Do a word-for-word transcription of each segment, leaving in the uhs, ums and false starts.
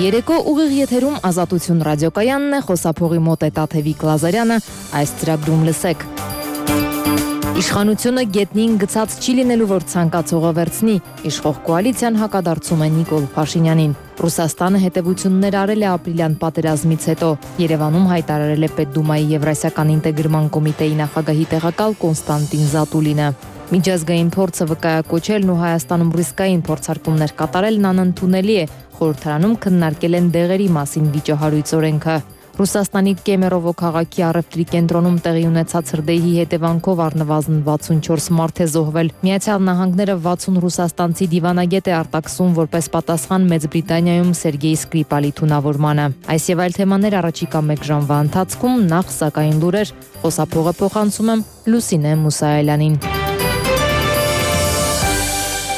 երեկո ուղիղ եթերում Ազատություն ռադիոկայանն է, խոսափողի մոտ է Տաթևիկ Լազարյանը, այս ծրագրում լսեք։ Իշխանությունը գետնին գցած չի լինելու, որ ցանկացողը վերցնի, իշխող կոալիցիան հակադարձում է Նիկոլ Փաշինյանին։ Ռուսաստանը հետևություններ արել է ապրիլյան պատերազմից հետո, Երևանում հայտարարել է Պետդումայի Եվրասիական ինտեգրման կոմիտեի նախագահի տեղակալ Կոնստանտին Զատուլինը։ Միջազգային փորձը վկայակոչելն ու Հայաստանում ռիսկային փորձարկումներ կատարելն անընդունելի է, խորհրդարանում քննարկել են դեղերի մասին վիճահարույց օրենքը։ Ռուսաստանի Կեմերովո քաղաքի առևտրի կենտրոնում տեղի ունեցած հրդեհի հետևանքով առնվազն վաթսունչորս մարդ է զոհվել։ Միացյալ Նահանգները վաթսուն ռուսաստանցի դիվանագետ է արտաքսում որպես պատասխան Մեծ Բրիտանիայում Սերգեյ Սկրիպալի թունավորմանը։ Այս եւ այլ թեմաներ առաջիկա մեկ ժամվա ընթացքում, նախ սակայն լուրեր, խոսափողը փոխանցում եմ Լուսինե Մուսայելյանին։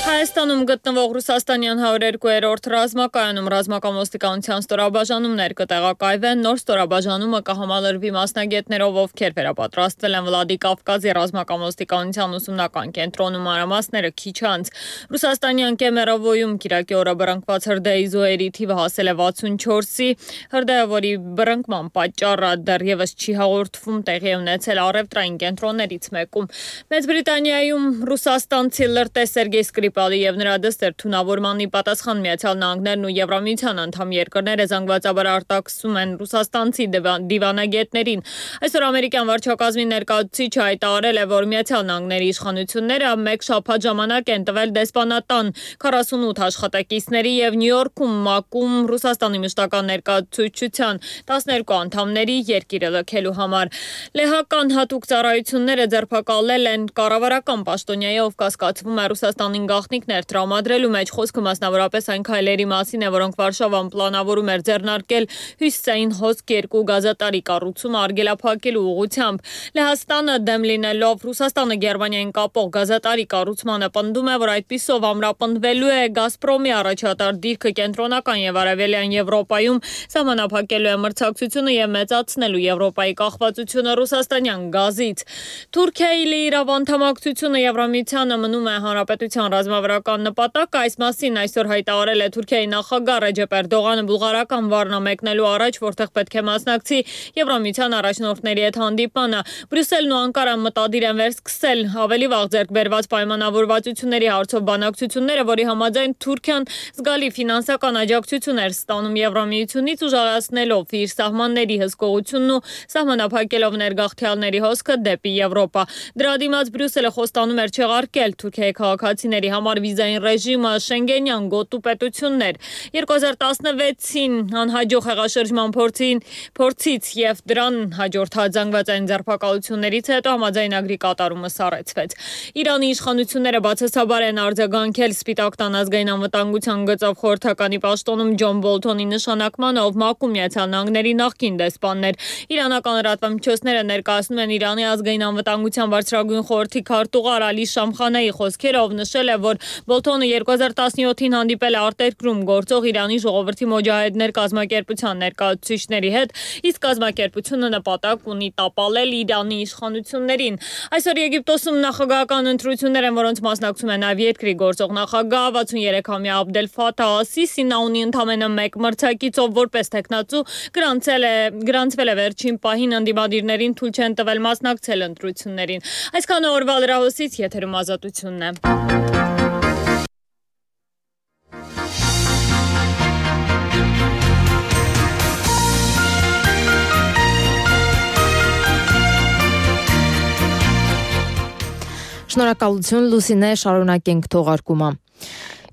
Հայաստանում գտնվող Ռուսաստանյան հարյուր երկու-րդ ռազմակայանում ռազմական ոստիկանության ստորաբաժանումներ կտեղակայվեն, նոր ստորաբաժանումը կհամալրվի մասնագետներով, ովքեր վերապատրաստվել են Վլադիկավկազի ռազմական ոստիկանության ուսումնական կենտրոնում, մանրամասները քիչ անց։ Ռուսաստանյան Կեմերովոյում կիրակի օրը բռնկված հրդեհի զոհերի թիվը հասել է վաթսունչորսի, հրդեհը, որի բռնկման պատճառը դեռևս չի հաղորդվում, տեղի է ունեցել առևտրային կենտրոններից մեկում։ Մեծ Բրիտանիայում ռուսաստանցի լրտես Սերգեյ Սկրիպալի եւ նրա դստեր թունավորմանի պատասխան Միացյալ Նահանգներն ու Եվրամիության անդամ երկրները զանգվածաբար արտաքսում են ռուսաստանցի դիվանագետներին։ Այսօր ամերիկյան վարչակազմի ներկայացուցիչը հայտարարել է, որ Միացյալ Նահանգների իշխանությունները մեկ շաբաթ ժամանակ են տվել դեսպանատան քառասունութ աշխատակիցների եւ Նյու Յորքում ՄԱԿ-ում Ռուսաստանի մշտական ներկայացուցչության տասներկու անդամների երկիրը լքելու համար։ Լեհական հատուկ ծառայությունները ձերբակալել են կառավարական պաշտոնյայի, ով կասկածվում է Ռուսաստանին գաղտնիքներ տրամադրելու մեջ, խոսքը մասնավորապես այն քայլերի մասին է, որոնք Վարշավան պլանավորում էր ձեռնարկել հյուսիսային հոսք երկու գազատարի կառուցումը արգելափակելու ուղղությամբ։ Լեհաստանը դեմ լինելով Ռուսաստանը Գերմանիային կապող գազատարի կառուցմանը պնդում է, որ այդպիսով ամրապնդվելու է Գազպրոմի առաջատար դիրքը կենտրոնական եւ արևելյան Եվրոպայում, սահմանափակելու է մրցակցությունը եւ մեծացնելու Եվրոպայի կախվածությունը ռուսաստանյան գազից։ Թուրքիայի լիիրավ անդամակցությունը Եվրամիությանը մնում է հանրապետության ռազմավարական նպատակը, այս մասին այսօր հայտարարել է Թուրքիայի նախագահ Ռեջեփ Էրդողանը Բուլղարական Վառնա մեկնելու առաջ, որտեղ պետք է մասնակցի Եվրամիության առաջնորդների հետ հանդիպմանը։ Բրյուսելն ու Անկարան մտադիր են վերսկսել ավելի վաղ ձեռք բերված պայմանավորվածությունների հարցով բանակցությունները, որի համաձայն Թուրքիան զգալի ֆինանսական աջակցություն էր ստանում Եվրամիությունից, ուժեղացնելով իր սահմանների հսկողությունն ու սահմանափակելով ներգաղթյալների հոսքը դեպի Եվրոպա։ Դրա դիմաց Բրյուսելը խոստանում էր չեղարկել Թուրքիայի քաղաքացիների համար վիզային ռեժիմը, շենգենյան գոտու պետություններ։ երկու հազար տասնվեցին անհաջող հեղաշրջման փորձին փորձից եւ դրան հաջորդած զանգվածային ձերբակալություններից հետո համաձայնագրի կատարումը սառեցվեց։ Իրանի իշխանությունները բացասաբար են արձագանքել Սպիտակ տան ազգային անվտանգության գծով խորհրդականի պաշտոնում Ջոն Բոլթոնի նշանակմանը, ով ՄԱԿ-ում Միացյալ Նահանգների նախկին դեսպաններ։ Իրանական լրատվամիջոցները ներկայացնում են Իրանի ազգային անվտանգության բարձրագույն խորհրդի քարտուղար Ալի Շամխանեի խոսքերը, ով նշել է, որ Բոլթոնը երկու հազար տասնյոթին հանդիպել է արտերկրում գործող Իրանի ժողովրդի մոջահեդներ կազմակերպության ներկայացուցիչների հետ, իսկ կազմակերպությունը նպատակ ունի տապալել Իրանի իշխանություններին։ Այսօր Եգիպտոսում նախագահական ընտրություններ են, որոնց մասնակցում է նաև երկրի գործող նախագահ վաթսուներեքամյա Աբդել Ֆաթահ Ասիսին, նա ունի ընդամենը մեկ մրցակից, ով որպես տեխնացու գրանցել է գրանցվել է վերջին պահին, ընդդիմադիրներին թույլ չեն տվել մասնակցել ընտրություններին։ Այսքանը օրվա լրահոսից, եթերում Ազատությունն է։ Շնորհակալություն Լուսինե, շարունակենք թողարկումը։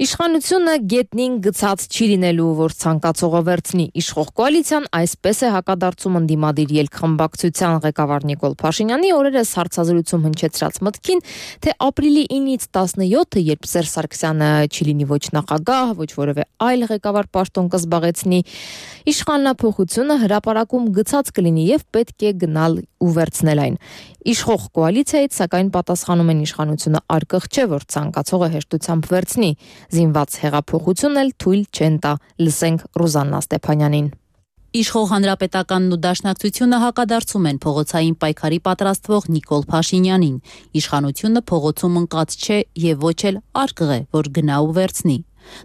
Իշխանությունը գետնին գցած չի լինելու, որ ցանկացողը վերցնի, իշխող կոալիցիան այսպես է հակադարձում ընդդիմադիր ելքխմբակցության ղեկավար Նիկոլ Փաշինյանի օրերս հարցազրույցում հնչեցրած մտքին, թե ապրիլի ինից տասնյոթը, երբ Սերժ Սարգսյանը չի լինի ոչ նախագահ, ոչ որևէ այլ ղեկավար պաշտոն կզբաղեցնի, իշխանափոխությունը հրապարակում գցած կլինի եւ պետք է գնալ ու վերցնել այն։ Իշխող կոալիցիայից սակայն պատասխանում են իշխանությունը արկղ չէ, որ ցանկացողը հեշտությամբ վերցնի։ Զինված հեղափոխությունն էլ թույլ չեն տա, լսենք Ռուզաննա Ստեփանյանին։ Իշխող հանրապետականն ու դաշնակցությունը հակադարձում են փողոցային պայքարի պատրաստվող Նիկոլ Փաշինյանին։ Իշխանությունը փողոցում ընկած չէ եւ ոչ էլ արկղ է, որ գնա ու վերցնի։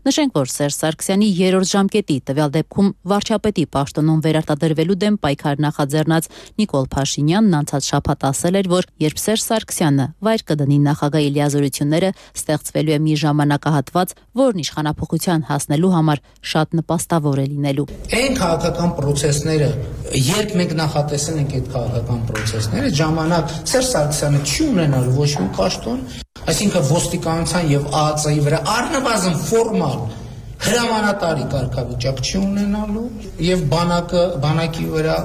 Նշենք, որ Սերժ Սարգսյանի երրորդ ժամկետի տվյալ դեպքում վարչապետի պաշտոնում վերարտադրվելու դեմ պայքար նախաձեռնած Նիկոլ Փաշինյանն անցած շաբաթ ասել էր, որ երբ Սերժ Սարգսյանը վայր կդնի նախագահի լիազորությունները, ստեղծվելու է մի ժամանակահատված, որն իշխանափոխության հասնելու համար շատ նպաստավոր է լինելու։ Այն քաղաքական process-ները, երբ մենք նախատեսել ենք այդ քաղաքական process-ները, ժամանակ Սերժ Սարգսյանը չի ունենալու ոչ մի պաշտոն, այսինքն ոստիկանության եւ ԱԱԾ-ի վրա առնվազն ֆորմալ հրամանատարի կարգավիճակ չի ունենալու եւ բանակը բանակի վրա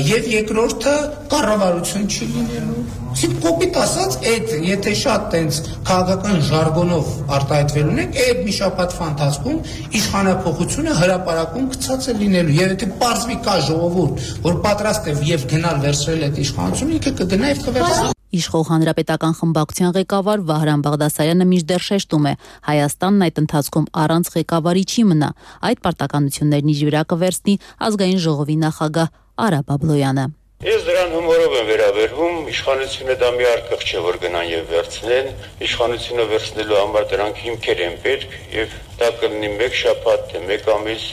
եւ երկրորդը կառավարություն չի լինելու։ Իսկ կոպիտ ասած, այդ եթե շատ տենց քաղաքական ժարգոնով արտահայտվելուն եք, այդ մի շաբաթվա ընթացքում իշխանափոխությունը հրապարակում գցած է լինելու եւ եթե պարզվի կա ժողովուրդ, որ պատրաստ է եւ գնալ վերցրել այդ իշխանությունը, ինքը կգնա եւ կվերցնի։ Իշխող հանրապետական խմբակցության ղեկավար Վահրամ Բաղդասարյանը մինչդեռ շեշտում է, Հայաստանն այդ ընթացքում առանց ղեկավարի չի մնա, այդ պարտականություններն իր վրա կվերցնի ազգային ժողովի նախագահ Արա Բաբլոյանը։ Ես դրան հումորով եմ վերաբերվում, իշխանությունը դա մի արկղ չէ, որ գնան եւ վերցնեն, իշխանությունը վերցնելու համար դրանք հիմքեր են պետք եւ դա կլինի մեկ շաբաթ, թե մեկ ամիս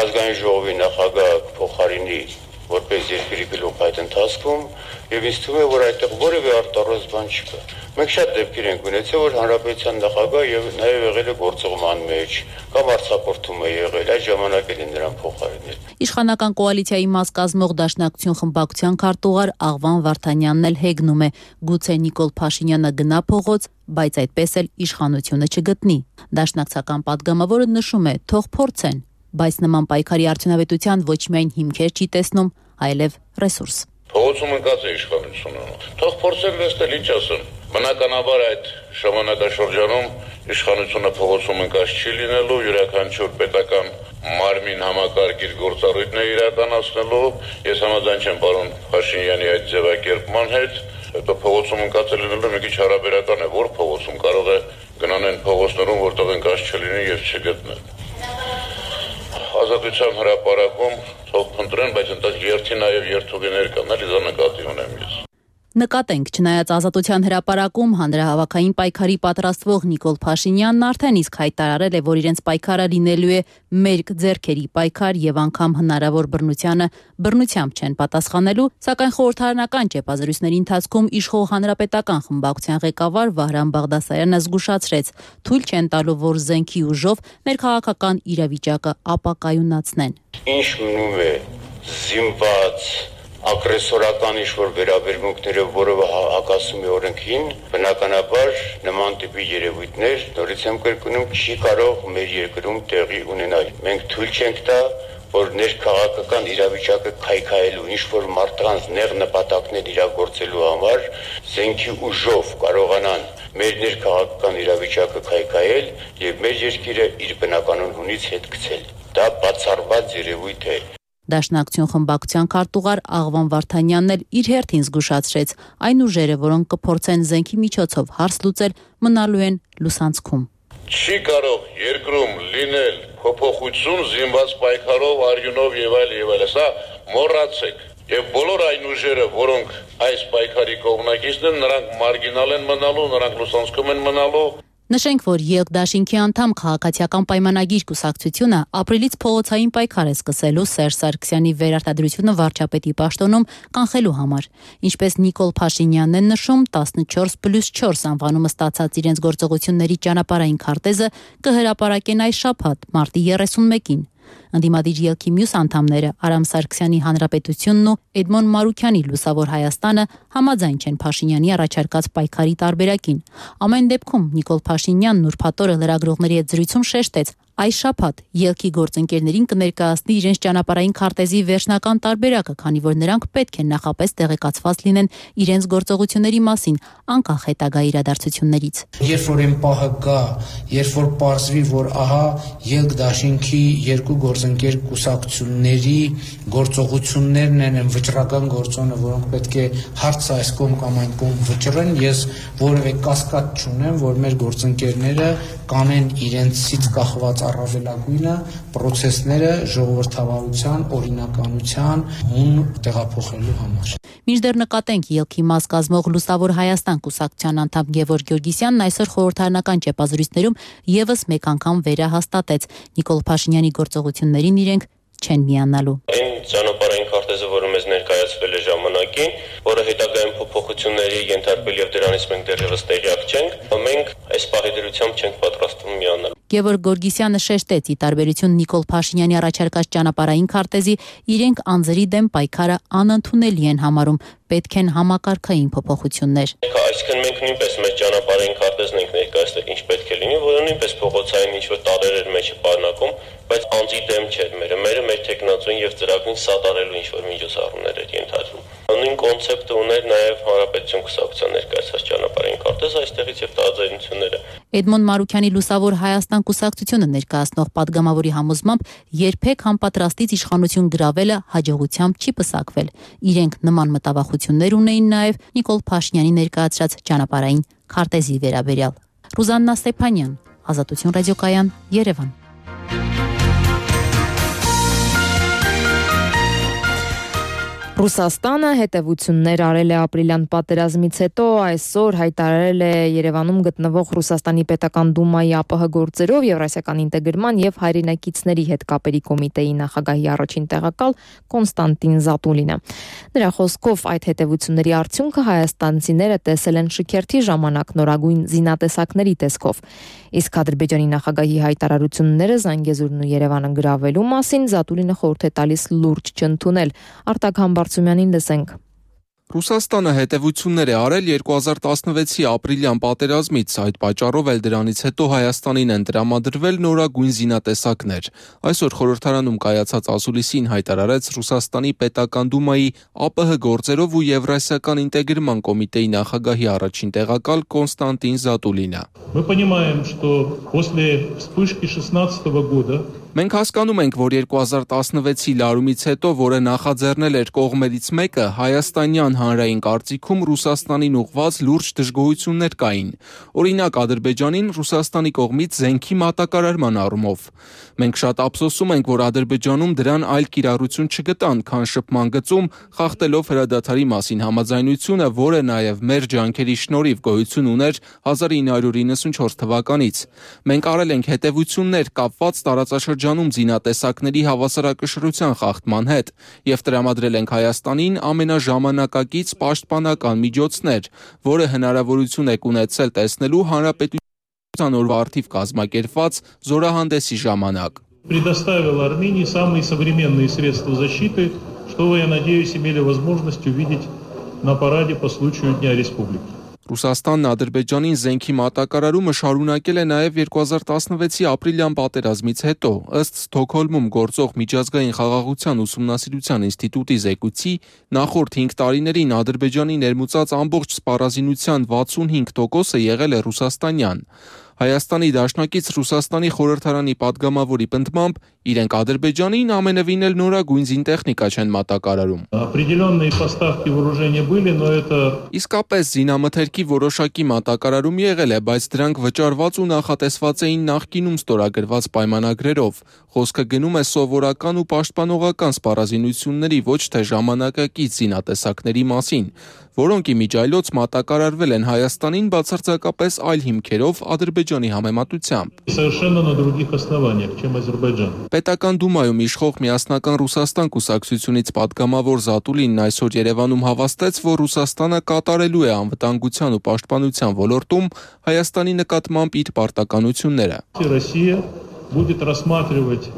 ազգային ժողովի նախագահ փոխարինի որպես երկրի գլուխ այդ ընթացքում եւ ինձ թվում է, որ այդտեղ որևէ արտառոց բան չկա։ Մենք շատ դեպքեր ենք ունեցել, որ հանրապետության նախագահ եւ նաեւ եղել է գործողման մեջ կամ արձակուրդում է եղել, այդ ժամանակ էլ են նրան փոխարինել։ Իշխանական կոալիցիայի մաս կազմող Դաշնակցություն խմբակցության քարտուղար Աղվան Վարդանյանն էլ հեգնում է, գուցե Նիկոլ Փաշինյանը գնա փողոց, բայց այդպես էլ իշխանությունը չգտնի։ Դաշնակցական падգամավորը նշում է, թող փորձեն, բայց նման պայքարի արդյունավետության ոչ միայն հիմքեր չի տեսնում, այլև ռեսուրս։ Փողոցում ընկած է իշխանությունը։ Թող փորձել լսել, ինչ ասեմ։ Բնականաբար այդ ժամանակաշրջանում իշխանությունը փողոցում ընկած չի լինելու, յուրաքանչյուր պետական մարմին համակարգ իր գործառույթն է իրականացնելու։ Ես համաձայն չեմ պարոն Փաշինյանի այդ ձևակերպման հետ, հետո փողոցում ընկած լինելու մի քիչ հարաբերական է, որ փողոցում կարող է գնան այն փողոցներում, որտեղ ընկած չլինի եւ չգտնեն։ Ազատության հրապարակում թող փնտրեն, բայց ընդ երթի նաև երթուղիներ կան, էլի դա նկատի ունեմ ես։ Նկատենք, չնայած Ազատության հրապարակում հանրահավաքային պայքարի պատրաստվող Նիկոլ Փաշինյանն արդեն իսկ հայտարարել է, որ իրենց պայքարը լինելու է մերկ ձեռքերի պայքար եւ անգամ հնարավոր բռնությանը բռնությամբ չեն պատասխանելու, սակայն խորհրդարանական ճեպազրույցների ընթացքում իշխող հանրապետական խմբակցության ղեկավար Վահրամ Բաղդասարյանը զգուշացրեց, թույլ չեն տալու, որ զենքի ուժով ներքաղաքական իրավիճակը ապակայունացնեն։ Ինչ մնում է զինված ագրեսորական ինչ-որ վերաբերմունքներով, որով հակասում է օրենքին, բնականաբար նման տիպի երևույթներ, նորից եմ կրկնում, չի կարող մեր երկրում տեղի ունենալ։ Մենք թույլ չենք տա, որ ներքաղաքական իրավիճակը քայքայելու, ինչ-որ մարդկանց նեղ նպատակներ իրագործելու համար զենքի ուժով կարողանան մեր ներքաղաքական իրավիճակը քայքայել եւ մեր երկիրը իր բնականon հունից հետ գցել։ Դա բացառված երևույթ է։ Դաշնակցություն խմբակցության քարտուղար Աղվան Վարդանյանն էլ իր հերթին զգուշացրեց, այն ուժերը, որոնք կփորձեն զենքի միջոցով հարց լուծել, մնալու են լուսանցքում։ Չի կարող երկրում լինել փոփոխություն զինված պայքարով, արյունով եւ այլ եւ այլ, սա մոռացեք։ Եվ բոլոր այն ուժերը, որոնք այս պայքարի կողմնակիցն են, նրանք մարգինալ են մնալու, նրանք լուսանցքում են մնալու։ Նշենք, որ ԵԼԿ-դաշինքի անդամ քաղաքացիական պայմանագիր կուսակցությունը ապրիլից փողոցային պայքար է սկսելու Սերժ Սարգսյանի վերարտադրությունը վարչապետի պաշտոնում կանխելու համար։ Ինչպես Նիկոլ Փաշինյանն է նշում, տասնչորս պլյուս չորս անվանումը ստացած իրենց գործողությունների ճանապարհային քարտեզը կհրապարակեն այս շաբաթ, մարտի երեսունմեկին։ Ընդդիմադիր ելքի մյուս անդամները Արամ Սարգսյանի Հանրապետությունն ու Էդմոն Մարուքյանի Լուսավոր Հայաստանը համաձայն չեն Փաշինյանի առաջարկած պայքարի տարբերակին։ Ամեն դեպքում Նիկոլ Փաշինյանն ուրբաթ օրը լրագրողների հետ զրույցում շեշտեց, այս շաբաթ ելքի գործընկերներին կներկայացնի իրենց ճանապարհային քարտեզի վերջնական տարբերակը, քանի որ նրանք պետք է նախապես տեղեկացված լինեն իրենց գործողությունների մասին, անկախ հետագա իրադարձություններից։ Երբ որ այն պահը գա, երբ որ պարզվի, որ ահա ԵԼԿ-դաշինքի երկու գործընկեր կուսակցությունների գործողություններն են վճռական գործոնը, որոնք պետք է հարցը այս կողմ կամ այն կողմ վճռեն, ես որևէ կասկած չունեմ, որ մեր գործընկերները կանեն իրենցից կախված առավելագույնը պրոցեսները ժողովրդավարության, օրինականության հուն տեղափոխելու համար։ Մինչդեռ նկատենք ելքի մաս կազմող Լուսավոր Հայաստան կուսակցության անդամ Գևորգ Գյորգիսյանն այսօր խորհրդարանական ճեպազրույցներում եւս մեկ անգամ վերահաստատեց Նիկոլ Փաշինյանի գործողություններին իրենք չեն միանալու։ Այն ճանապարհային քարտեզը, որը մեզ ներկայացվել է ժամանակին, որը հետագայում փոփոխությունների ենթարկվել եւ դրանից մենք դեռևս տեղյակ չենք, մենք այս պահի դրությամբ չենք պատրաստվում միանալ։ Գևորգ Գորգիսյանը շեշտեց, ի տարբերություն Նիկոլ Փաշինյանի առաջարկած ճանապարհային քարտեզի, իրենք անձերի դեմ պայքարը անընդունելի են համարում, պետք են համակարգային փոփոխություններ։ Այսինքն մենք նույնպես մեր ճանապարհային քարտեզն ենք ներկայացրել, ինչ պետք է լինի, որը նույնպես փողոցային ինչ-որ տարրեր մեջ պարունակում, բայց անձի դեմ չէր մերը, մերը մեր տեխնացուին եւ ծրագրին սատարելու ինչ-որ միջոցառումներ էր ենթադրվում։ Նույն կոնցեպտը ուներ նաև Հանրապետություն կուսակցության ներկայացած ճանապարհային քարտեզը, այստեղից եւ տարաձայնությունները։ Էդմոն Մարուքյանի Լուսավոր Հայաստան կուսակցությունը ներկայացնող падգամավորի համոզմամբ երբեք համապատրաստից իշխանություն գրավելը հաջողությամբ չի պսակվել։ Իրենք նման մտավախություններ ունեին նաև Նիկոլ Փաշինյանի ներկայացրած ճանապարհային քարտեզի վերաբերյալ։ Ռուզաննա Ստեփանյան, Ազատություն ռադիոկայան, Երևան։ Ռուսաստանը հետևություններ արել է ապրիլյան պատերազմից հետո, այսօր հայտարարել է Երևանում գտնվող Ռուսաստանի պետական դումայի ԱՊՀ գործերով Եվրասիական ինտեգրման եւ հայրենակիցների հետ կապերի կոմիտեի նախագահի առաջին տեղակալ Կոնստանտին Զատուլինը։ Նրա խոսքով այդ հետևությունների արդյունքը հայաստանցիները տեսել են շքերթի ժամանակ նորագույն զինատեսակների տեսքով։ Իսկ Ադրբեջանի նախագահի հայտարարությունները Զանգեզուրն ու Երևանը գրավելու մասին Զատուլինը խորհուրդ է տալիս լուրջ չընդունել։ Արտակ Համբարձումյանին լսենք։ Ռուսաստանը հետևություններ է արել երկու հազար տասնվեցի ապրիլյան պատերազմից, այդ պատճառով էլ դրանից հետո Հայաստանին են տրամադրվել նորագույն զինատեսակներ։ Այսօր խորհրդարանում կայացած ասուլիսին հայտարարեց Ռուսաստանի պետական դումայի ԱՊՀ գործերով ու Եվրասիական ինտեգրման կոմիտեի նախագահի առաջին տեղակալ Կոնստանտին Զատուլինը։ Мы понимаем, что после вспышки шестнадцатого года Մենք հասկանում ենք, որ երկու հազար տասնվեցի լարումից հետո, որը նախաձեռնել էր կողմերից մեկը, հայաստանյան հանրային կարծիքում Ռուսաստանին ուղղված լուրջ դժգոհություններ կային։ Օրինակ, Ադրբեջանին Ռուսաստանի կողմից զենքի մատակարարման առումով։ Մենք շատ ափսոսում ենք, որ Ադրբեջանում դրան այլ կիրառություն չգտան, քան շփման գծում, խախտելով հրադադարի մասին համաձայնությունը, որը նաև մեր ջանքերի շնորհիվ գոյություն ուներ հազար ինը հարյուր իննսունչորս թվականից։ Մենք արել ենք հետևություններ կապված տարածաշրջանում զինատեսակների հավասարակշռության խախտման հետ եւ տրամադրել ենք Հայաստանին ամենաժամանակակից պաշտպանական միջոցներ, որը հնարավորություն է ունեցել տեսնելու հանրապետության օրվա արդիվ կազմակերպված զորահանդեսի ժամանակ։ Предоставил Армении самые современные средства защиты, что вы, я надеюсь, имели возможность увидеть на параде по случаю Дня Республики. Ռուսաստանն Ադրբեջանին զենքի մատակարարումը շարունակել է նաև երկու հազար տասնվեցի ապրիլյան պատերազմից հետո, ըստ Ստոկհոլմում գործող միջազգային խաղաղության ուսումնասիրության ինստիտուտի զեկույցի, նախորդ հինգ տարիներին Ադրբեջանի ներմուծած ամբողջ սպառազինության վաթսունհինգ տոկոսը եղել է ռուսաստանյան։ Հայաստանի դաշնակից Ռուսաստանի խորհրդարանի падգամավորի պնդմամբ իրենք Ադրբեջանին ամենևին էլ նորագույն զինտեխնիկա չեն մատակարարում։ Определенные поставки вооружения были, но это Իսկապես զինամթերքի որոշակի մատակարարում եղել է, բայց դրանք վճարված ու նախատեսված էին նախկինում ստորագրված պայմանագրերով։ Խոսքը գնում է սովորական ու պաշտպանողական սպառազինությունների, ոչ թե ժամանակակից զինատեսակների մասին, որոնք իմիջայլոց մատակարարվել են Հայաստանին բացարձակապես այլ հիմքերով Ադրբեջանի համեմատությամբ։ совершенно на других основаниях, чем Азербайджан. Պետական դումայում իշխող միասնական Ռուսաստան կուսակցությունից падգամավոր Զատուլինն այսօր Երևանում հավաստեց, որ Ռուսաստանը կատարելու է անվտանգության ու պաշտպանության ոլորտում Հայաստանի նկատմամբ իր պարտականությունները։ Россия будет рассматривать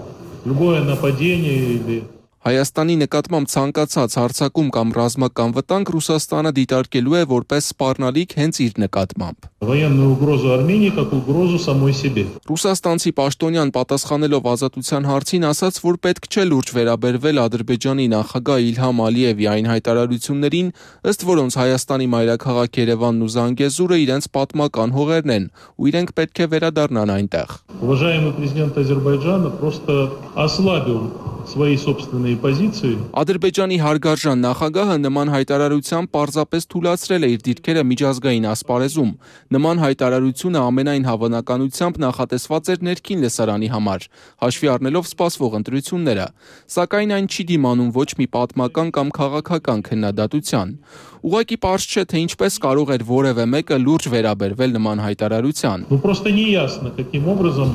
любое нападение или Հայաստանի նկատմամբ ցանկացած հարձակում կամ ռազմական վտանգ Ռուսաստանը դիտարկելու է որպես սպառնալիք հենց իր նկատմամբ։ военную угрозу Армении как угрозу самой себе. Ռուսաստանցի պաշտոնյան պատասխանելով ազատության հարցին ասաց, որ պետք չէ լուրջ վերաբերվել Ադրբեջանի նախագահ Իլհամ Ալիևի այն հայտարարություններին, ըստ որոնց Հայաստանի մայրաքաղաք Երևանն ու Զանգեզուրը իրենց պատմական հողերն են, ու իրենք պետք է վերադառնան այնտեղ։ Уважаемый президент Азербайджана просто ослабил свои собственные позиции. Ադրբեջանի հարգարժան նախագահը նման հայտարարությամբ պարզապես թույլատրել է իր դիրքերը միջազգային ասպարեզում։ Նման հայտարարությունը ամենայն հավանականությամբ նախատեսված էր ներքին լսարանի համար, հաշվի առնելով սպասվող ընտրությունները, սակայն այն չի դիմանում ոչ մի պատմական կամ քաղաքական քննադատության։ Ուղղակի պարզ չէ, թե ինչպես կարող էր որևէ մեկը լուրջ վերաբերվել նման հայտարարության։ Ну просто неясно, каким образом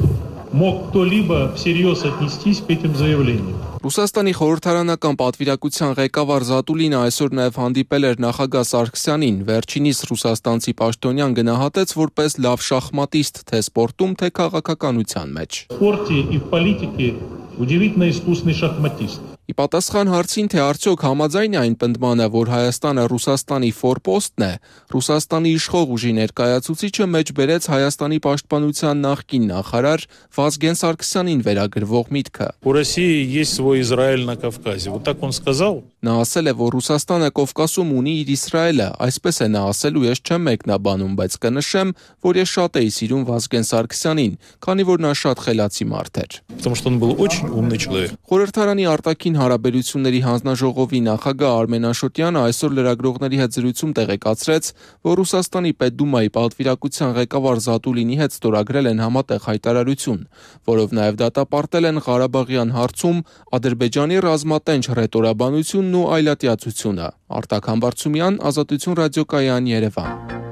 мог кто-либо всерьез отнестись к этим заявлениям. Ռուսաստանի խորհրդարանական պատվիրակության ղեկավար Զատուլինը այսօր նաև հանդիպել էր նախագահ Սարգսյանին, վերջինիս ռուսաստանցի պաշտոնյան գնահատեց որպես լավ շախմատիստ թե սպորտում, թե քաղաքականության մեջ։ В спорте и в политике удивительно искусный шахматист. Ի պատասխան հարցին, թե արդյոք համաձայն է այն պնդմանը, որ Հայաստանը Ռուսաստանի ֆորպոստն է, Ռուսաստանի իշխող ուժի ներկայացուցիչը մեջ բերեց Հայաստանի պաշտպանության նախկին նախարար Վազգեն Սարգսյանին վերագրվող միտքը։ У России есть свой Израиль на Кавказе. Вот так он сказал. Նա ասել է, որ Ռուսաստանը Կովկասում ունի իր Իսրայելը, այսպես է նա ասել ու ես չեմ մեկնաբանում, բայց կնշեմ, որ ես շատ էի սիրում Վազգեն Սարգսյանին, քանի որ նա շատ խելացի մարդ էր։ Потому что он был очень умный человек. Խորհրդարանի արտաքին հարաբերությունների հանձնաժողովի նախագահ Արմեն Աշոտյանը այսօր լրագրողների հետ զրույցում տեղեկացրեց, որ Ռուսաստանի Պետդումայի պատվիրակության ղեկավար Զատուլինի հետ ստորագրել են համատեղ հայտարարություն, որով նաև դատապարտել են Ղարաբաղյան հարցում Ադրբեջանի ռազմատենչ հռետորաբանությունն ու այլատյացությունը։ Արտակ Համբարձումյան, Ազատություն ռադիոկայան, Երևան։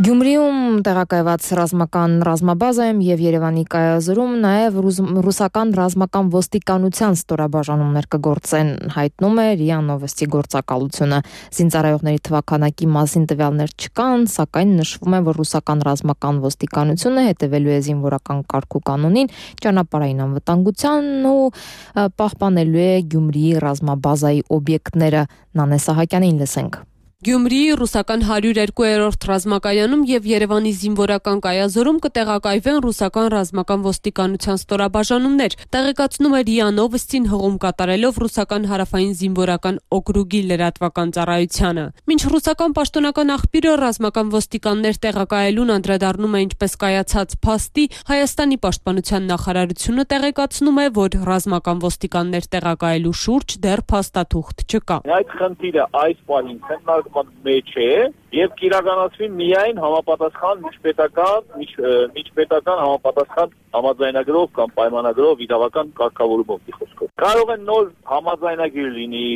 Գյումրիում տեղակայված ռազմական ռազմաբազայում եւ Երևանի կայազորում նաեւ ռուսական ռազմական ոստիկանության ստորաբաժանումներ կգործեն, հայտնում է ՌԻԱ Նովոստի գործակալությունը։ Զինծառայողների թվաքանակի մասին տվյալներ չկան, սակայն նշվում է, որ ռուսական ռազմական ոստիկանությունը հետևելու է զինվորական կարգ ու կանոնին, ճանապարհային անվտանգությանն ու պահպանելու է Գյումրիի ռազմաբազայի օբյեկտները։ Նանե Սահակյանին լսենք։ Գյումրիի ռուսական հարյուր երկու-րդ ռազմակայանում եւ Երևանի զինվորական կայազորում կտեղակայվեն ռուսական ռազմական ոստիկանության ստորաբաժանումներ, տեղեկացնում է ՌԻԱ Նովոստին հղում կատարելով ռուսական հարավային զինվորական օկրուգի լրատվական ծառայությանը։ Մինչ ռուսական պաշտոնական աղբյուրը ռազմական ոստիկաններ տեղակայելուն անդրադառնում է ինչպես կայացած փաստի, Հայաստանի պաշտպանության նախարարությունը տեղեկացնում է, որ ռազմական ոստիկաններ տեղակայելու շուրջ դեռ փաստաթուղթ չկա։ Այդ խնդիրը այս պահին մեջ է եւ կիրականացվի միայն համապատասխան միջպետական միջպետական համապատասխան համաձայնագրով կամ պայմանագրով իրավական կարգավորումով խոսքով կարող է նոր համաձայնագիր լինի,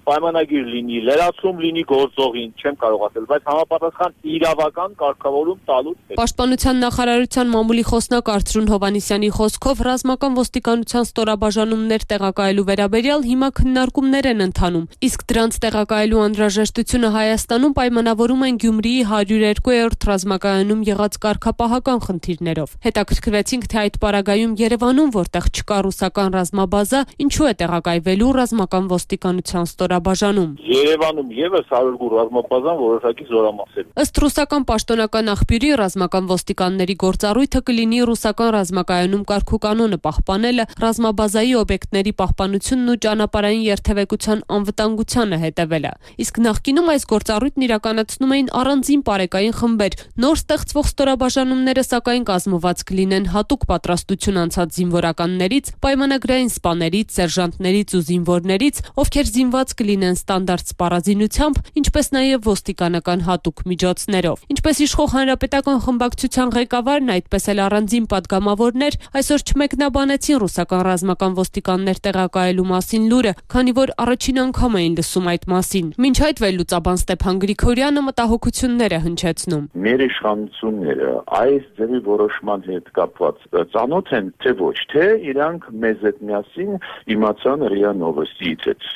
պայմանագիր լինի, լրացում լինի գործողին, չեմ կարող ասել, բայց համապատասխան իրավական կարգավորում տալուց հետո։ Պաշտպանության նախարարության մամուլի խոսնակ Արծրուն Հովհաննիսյանի խոսքով ռազմական ոստիկանության ստորաբաժանումներ տեղակայելու վերաբերյալ հիմա քննարկումներ են ընթանում, իսկ դրանց տեղակայելու անհրաժեշտությունը Հայաստանում պայմանավորում են Գյումրիի հարյուր երկու-րդ ռազմակայանում եղած կարգապահական խնդիրներով։ Հետաքրքրվեցինք, թե այդ պարագայում Երևանում, որտեղ չկա ռուսական ռազմաբազա, ինչու է տեղակայվելու ռազմական ոստիկանության ստորաբաժանում։ Երևանում եւս հարյուր ռազմաբազան որոշակի զորամասեր։ Ըստ ռուսական պաշտոնական աղբյուրի ռազմական ոստիկանների գործառույթը կլինի ռուսական ռազմակայանում կարգուկանոնը պահպանելը, ռազմաբազայի օբյեկտների պահպանությունն ու ճանապարհային երթևեկության անվտանգությանը հետևելը։ Իսկ նախկինում այս գործառույթն իրականացնում էին առանձին պարեկային խմբեր։ Նոր ստեղծվող ստորաբաժանումները սակայն կազմված կլինեն հատուկ պատրաստություն անցած զինվորականներից, պայմանագրային սպաներից, սերժանտներից ու զինվորներից, ովքեր զինված կլինեն ստանդարտ սպառազինությամբ, ինչպես նաև ոստիկանական հատուկ միջոցներով։ Ինչպես իշխող հանրապետական խմբակցության ղեկավարն, այդպես էլ առանձին падգամավորներ այսօր չմեկնաբանեցին ռուսական ռազմական ոստիկաններ տեղակայելու մասին լուրը, քանի որ առաջին անգամ էին լսում այդ մասին։ Մինչ այդ վերլուծաբան Ստեփան Գրիգորյանը մտահոգություններ է հնչեցնում։ Մեր իշխանությունները այս ձևի որոշման հետ կապված ծանոթ են, թե ոչ, թե իրանք մեզ հետ միասին իմացան ՌԻԱ Նովոստիից այդ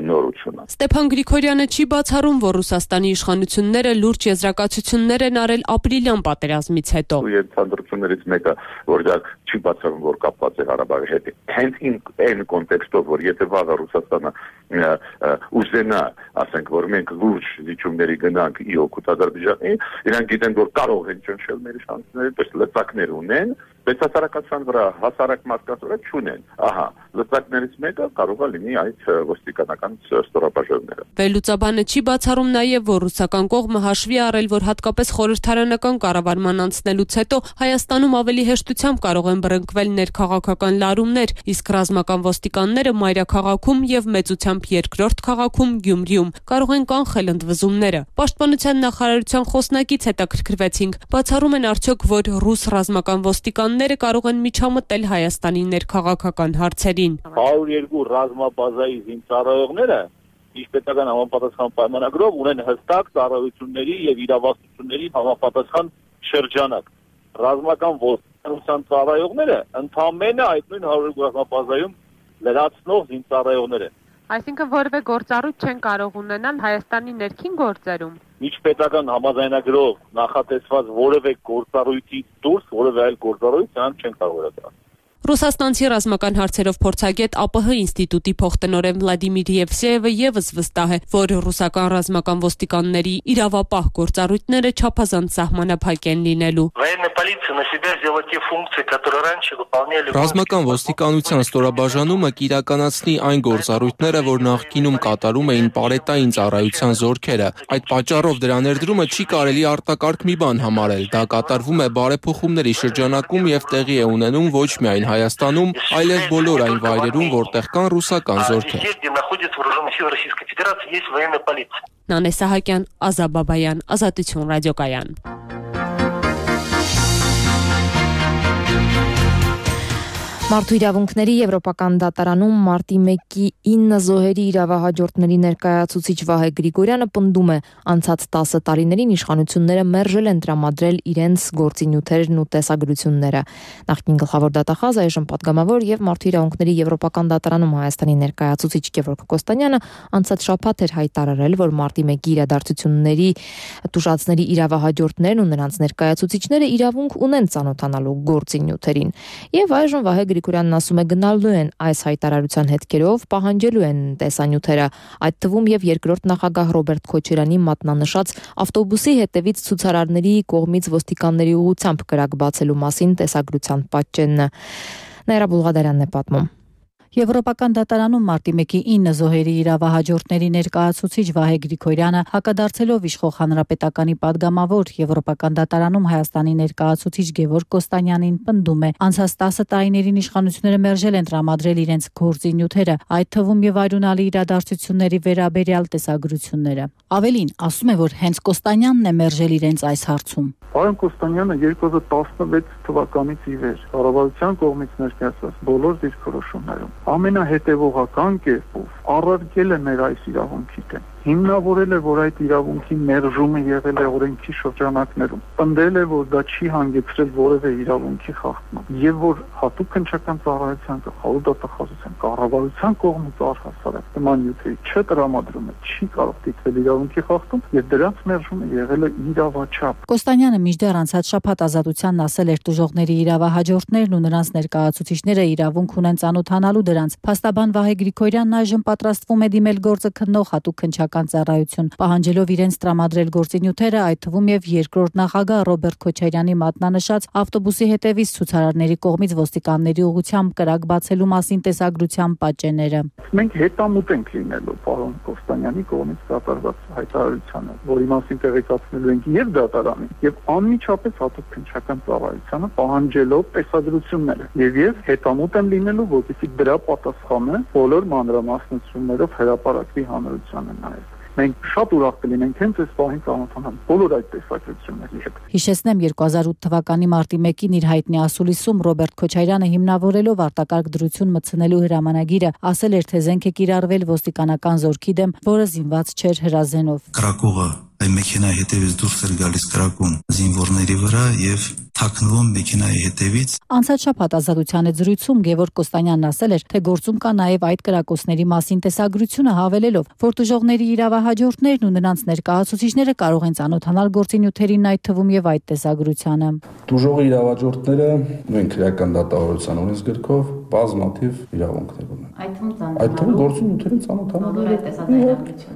նորությունը։ Ստեփան Գրիգորյանը չի բացառում, որ Ռուսաստանի իշխանությունները լուրջ եզրակացություններ են արել ապրիլյան պատերազմից հետո։ Ենթադրություններից մեկը, որ դա չի բացառում, որ կապված է Ղարաբաղի հետ։ Հենց այն կոնտեքստով, որ եթե վաղը Ռուսաստանը ուզենա, ասենք, որ մենք լուրջ զիջումների գնանք ի օգուտ Ադրբեջանի, իրանք գիտեն, որ կարող են ճնշել մեր իշխանությունները, պես լծակներ ունեն, բայց հասարակության վրա, հասարակ մարդկանց վրա չունեն։ Ահա, լծակներից մեկը կարող է լինի այդ ոստիկանական ստորաբաժանումները։ Վերլուծաբանը չի բացառում նաև, որ ռուսական կողմը հաշվի առել, որ հատկապես խորհրդարանական կառավարման անցնելուց հետո Հայաստանում ավելի հեշտությամբ կարող են բռնկվել ներքաղաքական լարումներ, իսկ ռազմական ոստիկանները մայրաքաղաքում եւ մեծությամբ երկրորդ քաղաքում Գյումրիում կարող են կանխել ընդվզումները։ Պաշտպանության նախարարության խոսնակից հետաքրքրվեցինք, բացառում են արդյոք, որ ռուս ռազմական ոստիկանները կարող են միջամտել Հայաստանի ներքաղաքական հարցերին։ հարյուր երկու ռազմաբազայի զինծառայողները Միջպետական համապատասխան պայմանագրով ունեն հստակ ծառայությունների եւ իրավասությունների համապատասխան շրջանակ։ Ռազմական ոստիկանության ծառայողները ընդամենը այդ նույն հարյուր երկու ռազմաբազայում լրացնող զինծառայողներ են։ Այսինքն որևէ գործառույթ չեն կարող ունենալ Հայաստանի ներքին գործերում։ Միջպետական համաձայնագրով նախատեսված որևէ գործառույթից դուրս որևէ այլ գործառույթ նրանք չեն կարող իրականացնել։ Ռուսաստանցի ռազմական հարցերով փորձագետ ԱՊՀ ինստիտուտի փոխտնօրեն Վլադիմիր Եվսեևը եւս վստահ է, որ ռուսական ռազմական ոստիկանների իրավապահ գործառույթները չափազանց սահմանափակ են լինելու։ Ռազմական ոստիկանության ստորաբաժանումը կիրականացնի այն գործառույթները, որ նախկինում կատարում էին պարետային ծառայության զորքերը։ Այդ պատճառով դրա ներդրումը չի կարելի արտակարգ մի բան համարել։ Դա կատարվում է բարեփոխումների շրջանակում եւ տեղի է ունենում ոչ միայն Հայաստանում, այլև բոլոր այն վայրերում, որտեղ կան ռուսական զորքեր։ Նանե Սահակյան, Ազատ Բաբայան, Ազատություն ռադիոկայան։ Մարդու իրավունքների Եվրոպական դատարանում մարտի մեկի ինը զոհերի իրավահաջորդների ներկայացուցիչ Վահե Գրիգորյանը պնդում է, անցած տասը տարիներին իշխանությունները մերժել են տրամադրել իրենց գործինյութերն ու տեսագրությունները։ Նախկին գլխավոր դատախազ, այժմ պատգամավոր եւ Մարդու իրավունքների Եվրոպական դատարանում Հայաստանի ներկայացուցիչ Գևորգ Կոստանյանը անցած շաբաթ էր հայտարարել, որ մարտի մեկի իրադարձությունների տուժածների իրավահաջորդներն ու նրանց ներկայացուցիչները իրավունք ունեն ծանոթանալու գործինյութերին։ Եվ այժմ Վահե Գրիգորյանն ասում է գնալու են այս հայտարարության հետքերով, պահանջելու են տեսանյութերը, այդ թվում եւ երկրորդ նախագահ Ռոբերտ Քոչարյանի մատնանշած ավտոբուսի հետևից ցուցարարների կողմից ոստիկանների ուղղությամբ կրակ բացելու մասին տեսագրության պատճենը։ Նաիրա Բուլղադարյանն է պատմում։ Եվրոպական դատարանում մարտի մեկի ինը զոհերի իրավահաջորդների ներկայացուցիչ Վահե Գրիգորյանը հակադարձելով իշխող հանրապետականի падգամավոր Եվրոպական դատարանում Հայաստանի ներկայացուցիչ Գևորգ Կոստանյանին պնդում է, անցած տասը տարիներին իշխանությունները մերժել են տրամադրել իրենց գործինյութերը, այդ թվում եւ այրունալի իրադարձությունների վերաբերյալ տեսագրությունները։ Ավելին, ասում է, որ հենց Կոստանյանն է մերժել իրենց այս հարցում։ Պարոն Կոստանյանը երկու հազար տասնվեց թվականից ի վեր կառավարության կողմից ներկայացված բոլոր դիրքորոշումներում ամենահետևողական կերպով առարկել է մեր այս իրավունքի դեմ, հիմնավորել է, որ այդ իրավունքի մերժումը եղել է օրենքի շրջանակներում, պնդել է, որ դա չի հանգեցրել որևէ իրավունքի խախտման, եւ որ հատուկ քննչական ծառայության գլխավոր դատախազության կառավարության կողմից առհասարակ նման նյութերի չտրամադրումը չի կարող դիտվել իրավունքի խախտում, եւ դրանց մերժումը եղել է իրավաչափ։ Կոստանյանը մինչդեռ անցած շաբաթ Ազատությանն ասել էր տուժողների իրավահաջորդներն ու նրանց ներկայացուցիչները իրավունք ունեն ծանոթանալու դրանց։ Փաստաբան Վահե Գրիգորյանն այժմ պատրաստվում է դիմել գործը քննող հատուկ քննչական ծառայություն, պահանջելով իրենց տրամադրել գործինյութերը, այդ թվում եւ երկրորդ նախագահ Ռոբերտ Քոչարյանի մատնանշած ավտոբուսի հետևից ցուցարարների կողմից ոստիկանների ուղղությամբ կրակ բացելու մասին տեսագրության պատճենները։ Մենք հետամուտ ենք լինելու պարոն Կոստանյանի կողմից կատարված հայտարարությանը, որի մասին տեղեկացնելու ենք եւ դատարանին, եւ անմիջապես հատուկ քննչական ծառայությանը պահանջելով տեսագրությունները։ Եվ ես հետամուտ եմ լինելու, որպեսզի դրա պատասխանը բոլոր մանրամասնություններով հրապարակվի հանրությանը նաեւ։ Մենք շատ ուրախ կլինենք հենց այս պահին ծանոթանալ բոլոր այդ տեսակետների հետ։ Հիշեցնեմ, երկու հազար ութ թվականի մարտի մեկին իր հայտնի ասուլիսում Ռոբերտ Քոչարյանը հիմնավորելով արտակարգ դրություն մտցնելու հրամանագիրը ասել էր, թե զենք է կիրառվել ոստիկանական զորքի դեմ, որը զինված չէր հրազենով։ Կրակողը այն մեքենայի հետևից դուրս էր գալիս կրակում զինվորների վրա եւ թաքնվում մեքենայի հետևից։ Անցած շաբաթ Ազատության հետ զրույցում Գևորգ Կոստանյանն ասել էր, թե գործում կա նաև այդ կրակոցների մասին տեսագրությունը, հավելելով, որ տուժողների իրավահաջորդներն ու նրանց ներկայացուցիչները կարող են ծանոթանալ գործի նյութերին, այդ թվում եւ այդ տեսագրությանը։ Տուժողի իրավահաջորդները նույն քրեական դատավարության օրենսգրքով բազմաթիվ իրավունքներ ունեն։ Այդ թվում գործի նյութերին ծանոթանալու։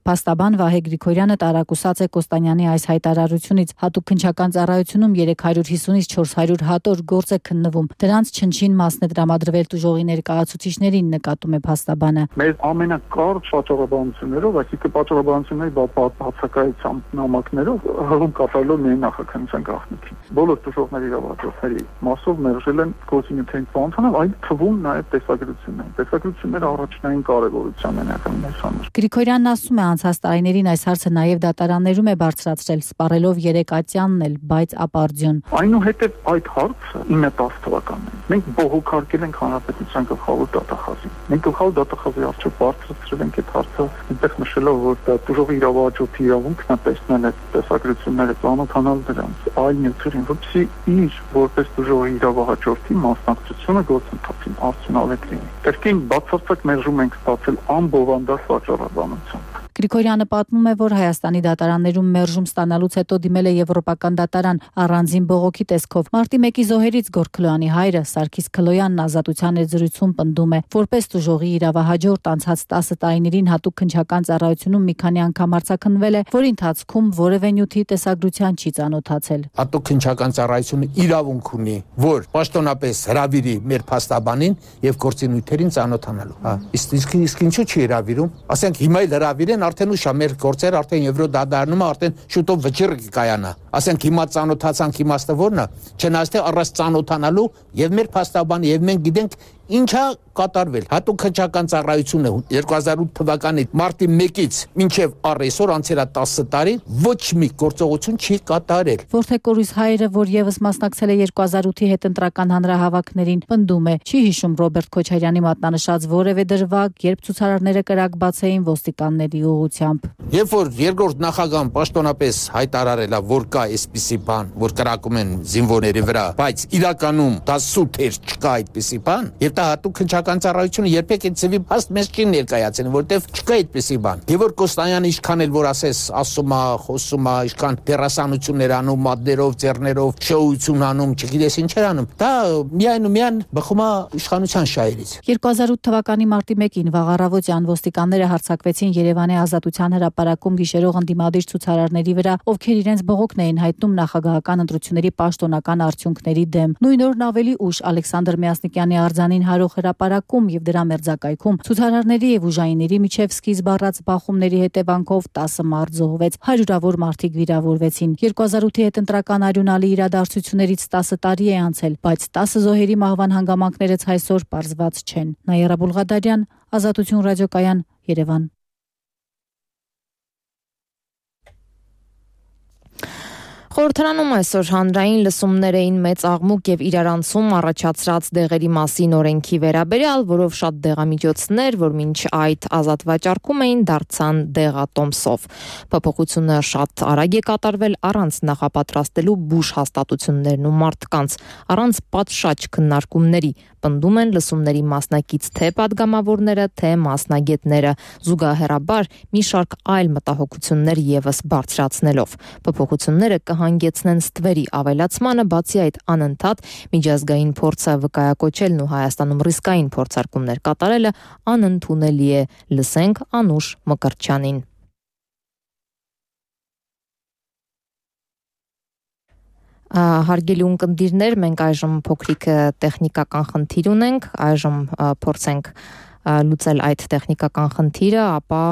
Փաստաբան Վահե Գրիգորյանը տարակուսած է Կոստանյանի այս հայտարարությունից։ Հատուկ քննչական ծառայությունում երեք հարյուր հիսունից չորս հարյուր հատոր գործ է քննվում։ Դրանց չնչին մասն է տրամադրվել տուժողի ներկայացուցիչներին, նկատում է փաստաբանը։ Մեր ամենակարճ պատճառաբանություններով, այսինքն պատճառաբանությունների բացակայությամբ նամակներով հղում կատարելով միայն նախաքննության գաղտնիքին։ Բոլոր տուժողների իրավահաջորդների մասով մերժել են գործի նյութերին ծանոթանալ, այդ թվում նաև տեսագրություններ։ Տեսագրությունները առաջնային կարևորության են եղել մեզ համար։ Գրիգորյանն ասում է, անցած տարիներին այս հարցը նաև դատարաններում է բարձրացրել, սպառելով երեք ատյանն էլ, բայց ապարդյուն։ Այնուհետև այդ հարցը ինը տասը թվականին մենք բողոքարկել ենք հանրապետության գլխավոր դատախազին։ Մենք գլխավոր դատախազի առջև բարձրացրել ենք այդ հարցը, այնտեղ նշելով, որ տուժողի իրավահաջորդի իրավունքն է տեսնել այդ տեսագրությունները, ծանոթանալ դրանց, այլ նյութերին, որպեսզի իր որպես տուժողի իրավահաջորդի մասնակցությունը գործընթացին արդյունավետ լինի։ Կրկին բացարձակ մերժում ենք ստացել անբովանդակ վաճառականությամբ։ Գրիգորյանը պատմում է, որ Հայաստանի դատարաններում մերժում ստանալուց հետո դիմել է Եվրոպական դատարան առանձին բողոքի տեսքով։ Մարտի մեկի զոհերից Գորգ Քլոյանի հայրը Սարգիս Քլոյանն Ազատության հետ զրույցում պնդում է, որպես տուժողի իրավահաջորդ անցած տասը տարիներին հատուկ քննչական ծառայությունում մի քանի անգամ արձակնվել է, որի ընթացքում որևէ նյութի տեսագրության չի ծանոթացել։ Հատուկ քննչական ծառայությունը իրավունք ունի, որ պաշտոնապես հրավիրի մեր փաստաբանին եւ գործի նյութերին ծանոթանալու։ Հա, իսկ իսկ ինչու՞ չի հրավիրում։ Ասենք հիմա էլ հրավիրեն, արդեն ուշ է, մեր գործերը արդեն Եվրոդատարանում արդեն շուտով վճիռ կկայանա։ Ասենք հիմա ծանոթացանք, իմաստը որն է, չնայած թե առանց ծանոթանալու եւ մեր փաստաբանը եւ մենք գիտենք ինչա կատարվել։ Հատուկ քննչական ծառայությունը երկու հազար ութ թվականի մարտի մեկից մինչև առ այսօր անցել է տասը տարի, ոչ մի գործողություն չի կատարել։ Որդեկորուս հայրը, որ եւս մասնակցել է երկու հազար ութի հետընտրական հանրահավաքներին, պնդում է, չի հիշում Ռոբերտ Քոչարյանի մատնանշած որևէ դրվագ, երբ ցուցարարները կրակ բացեին ոստիկանների ուղղությամբ։ Երբ որ երկրորդ նախագահան պաշտոնապես հայտարարել է, որ կա այսպիսի բան, որ կրակում են զինվորների վրա, բայց իրականում դա սուտ էր, չկա այդպիսի բան, եւ դա հատուկ քննչական ծառայությունը երբեք այդ ծավի հաստ մեզ չի ներկայացել, որտեվ չկա այդպիսի բան։ Գևորգ Կոստանյանը ինչքան էլ որ ասես, ասում է, խոսում է, ինչքան դերասանություններ անում, մատներով, ձեռներով, շոուություն անում, չգիտես ինչեր անում, դա միայն ու միայն բխում է իշխանության շահերից։ երկու հազար ութ թվականի մարտի մեկին վաղ առավոտյան ոստիկանները հարձակվեցին Երևանի Ազատության հրապարակում գիշերող ընդդիմադիր ցուցարարների վրա, ովքեր իրենց բողոքն էին հայտնում նախագահական ընտրությունների պաշտոնական արդյունքների դեմ։ Նույն օրն ավելի ուշ Ալեքսանդր Միասնիկյանի արձանին հարող հրապարակում եւ դրա մերձակայքում ցուցարարների եւ ուժայինների միջև սկիզբ առած բախումների հետևանքով տասը մարդ զոհվեց, հարյուրավոր մարդիկ վիրավորվեցին։ երկու հազար ութի հետընտրական արյունալի իրադարձություններից տասը տարի է անցել, բայց տասը զոհերի մահվան հանգամանքներց այսօր պարզված չեն։ Նաիրա Բուլղադարյան, Ազատություն ռադիոկայան, Երևան։ Խորհրդարանում այսօր հանրային լսումներ էին մեծ աղմուկ եւ իրարանցում առաջացրած դեղերի մասին օրենքի վերաբերյալ, որով շատ դեղամիջոցներ, որ մինչ այդ ազատ վաճառքում էին, դարձան դեղատոմսով։ Փոփոխությունը շատ արագ է կատարվել առանց նախապատրաստելու բուժ հաստատություններն ու մարդկանց, առանց պատշաճ քննարկումների, պնդում են լսումների մասնակից թե падգամավորները, թե մասնագետները, զուգահեռաբար մի շարք այլ մտահոգություններ եւս բարձրացնելով։ Փոփոխությունները կհանգեցնեն ստվերի ավելացմանը, բացի այդ անընդհատ միջազգային փորձը վկայակոչելն ու Հայաստանում ռիսկային փորձարկումներ կատարելը անընդունելի է, լսենք Անուշ Մկրտչյանին։ Հարգելի ունկնդիրներ, մենք այժմ փոքրիկ տեխնիկական խնդիր ունենք, այժմ փորձենք լուծել այդ տեխնիկական խնդիրը, ապա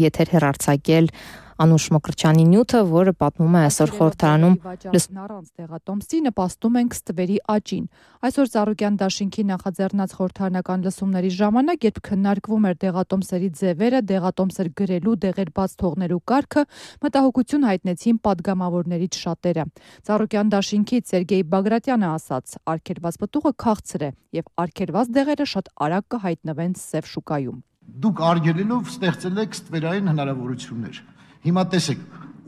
եթեր հեռարձակել Անուշ Մկրտչյանի նյութը, որը պատմում է այսօր խորհրդարանում առանց դեղատոմսի նպաստում ենք ստվերի աճին։ Այսօր Ծառուկյան դաշինքի նախաձեռնած խորհրդարանական լսումների ժամանակ, երբ քննարկվում էր դեղատոմսերի ձևերը, դեղատոմսեր գրելու, դեղեր բաց թողնելու կարգը, մտահոգություն հայտնեցին падգամավորներից շատերը։ Ծառուկյան դաշինքից Սերգեյ Բագրատյանը ասաց, արգելված պտուղը քաղցր է եւ արգելված դեղերը շատ արագ կհայտնվեն սև շուկայում։ Դուք արգելելով ստեղծել եք ստվերային հնարավորություններ։ Հիմա տեսեք,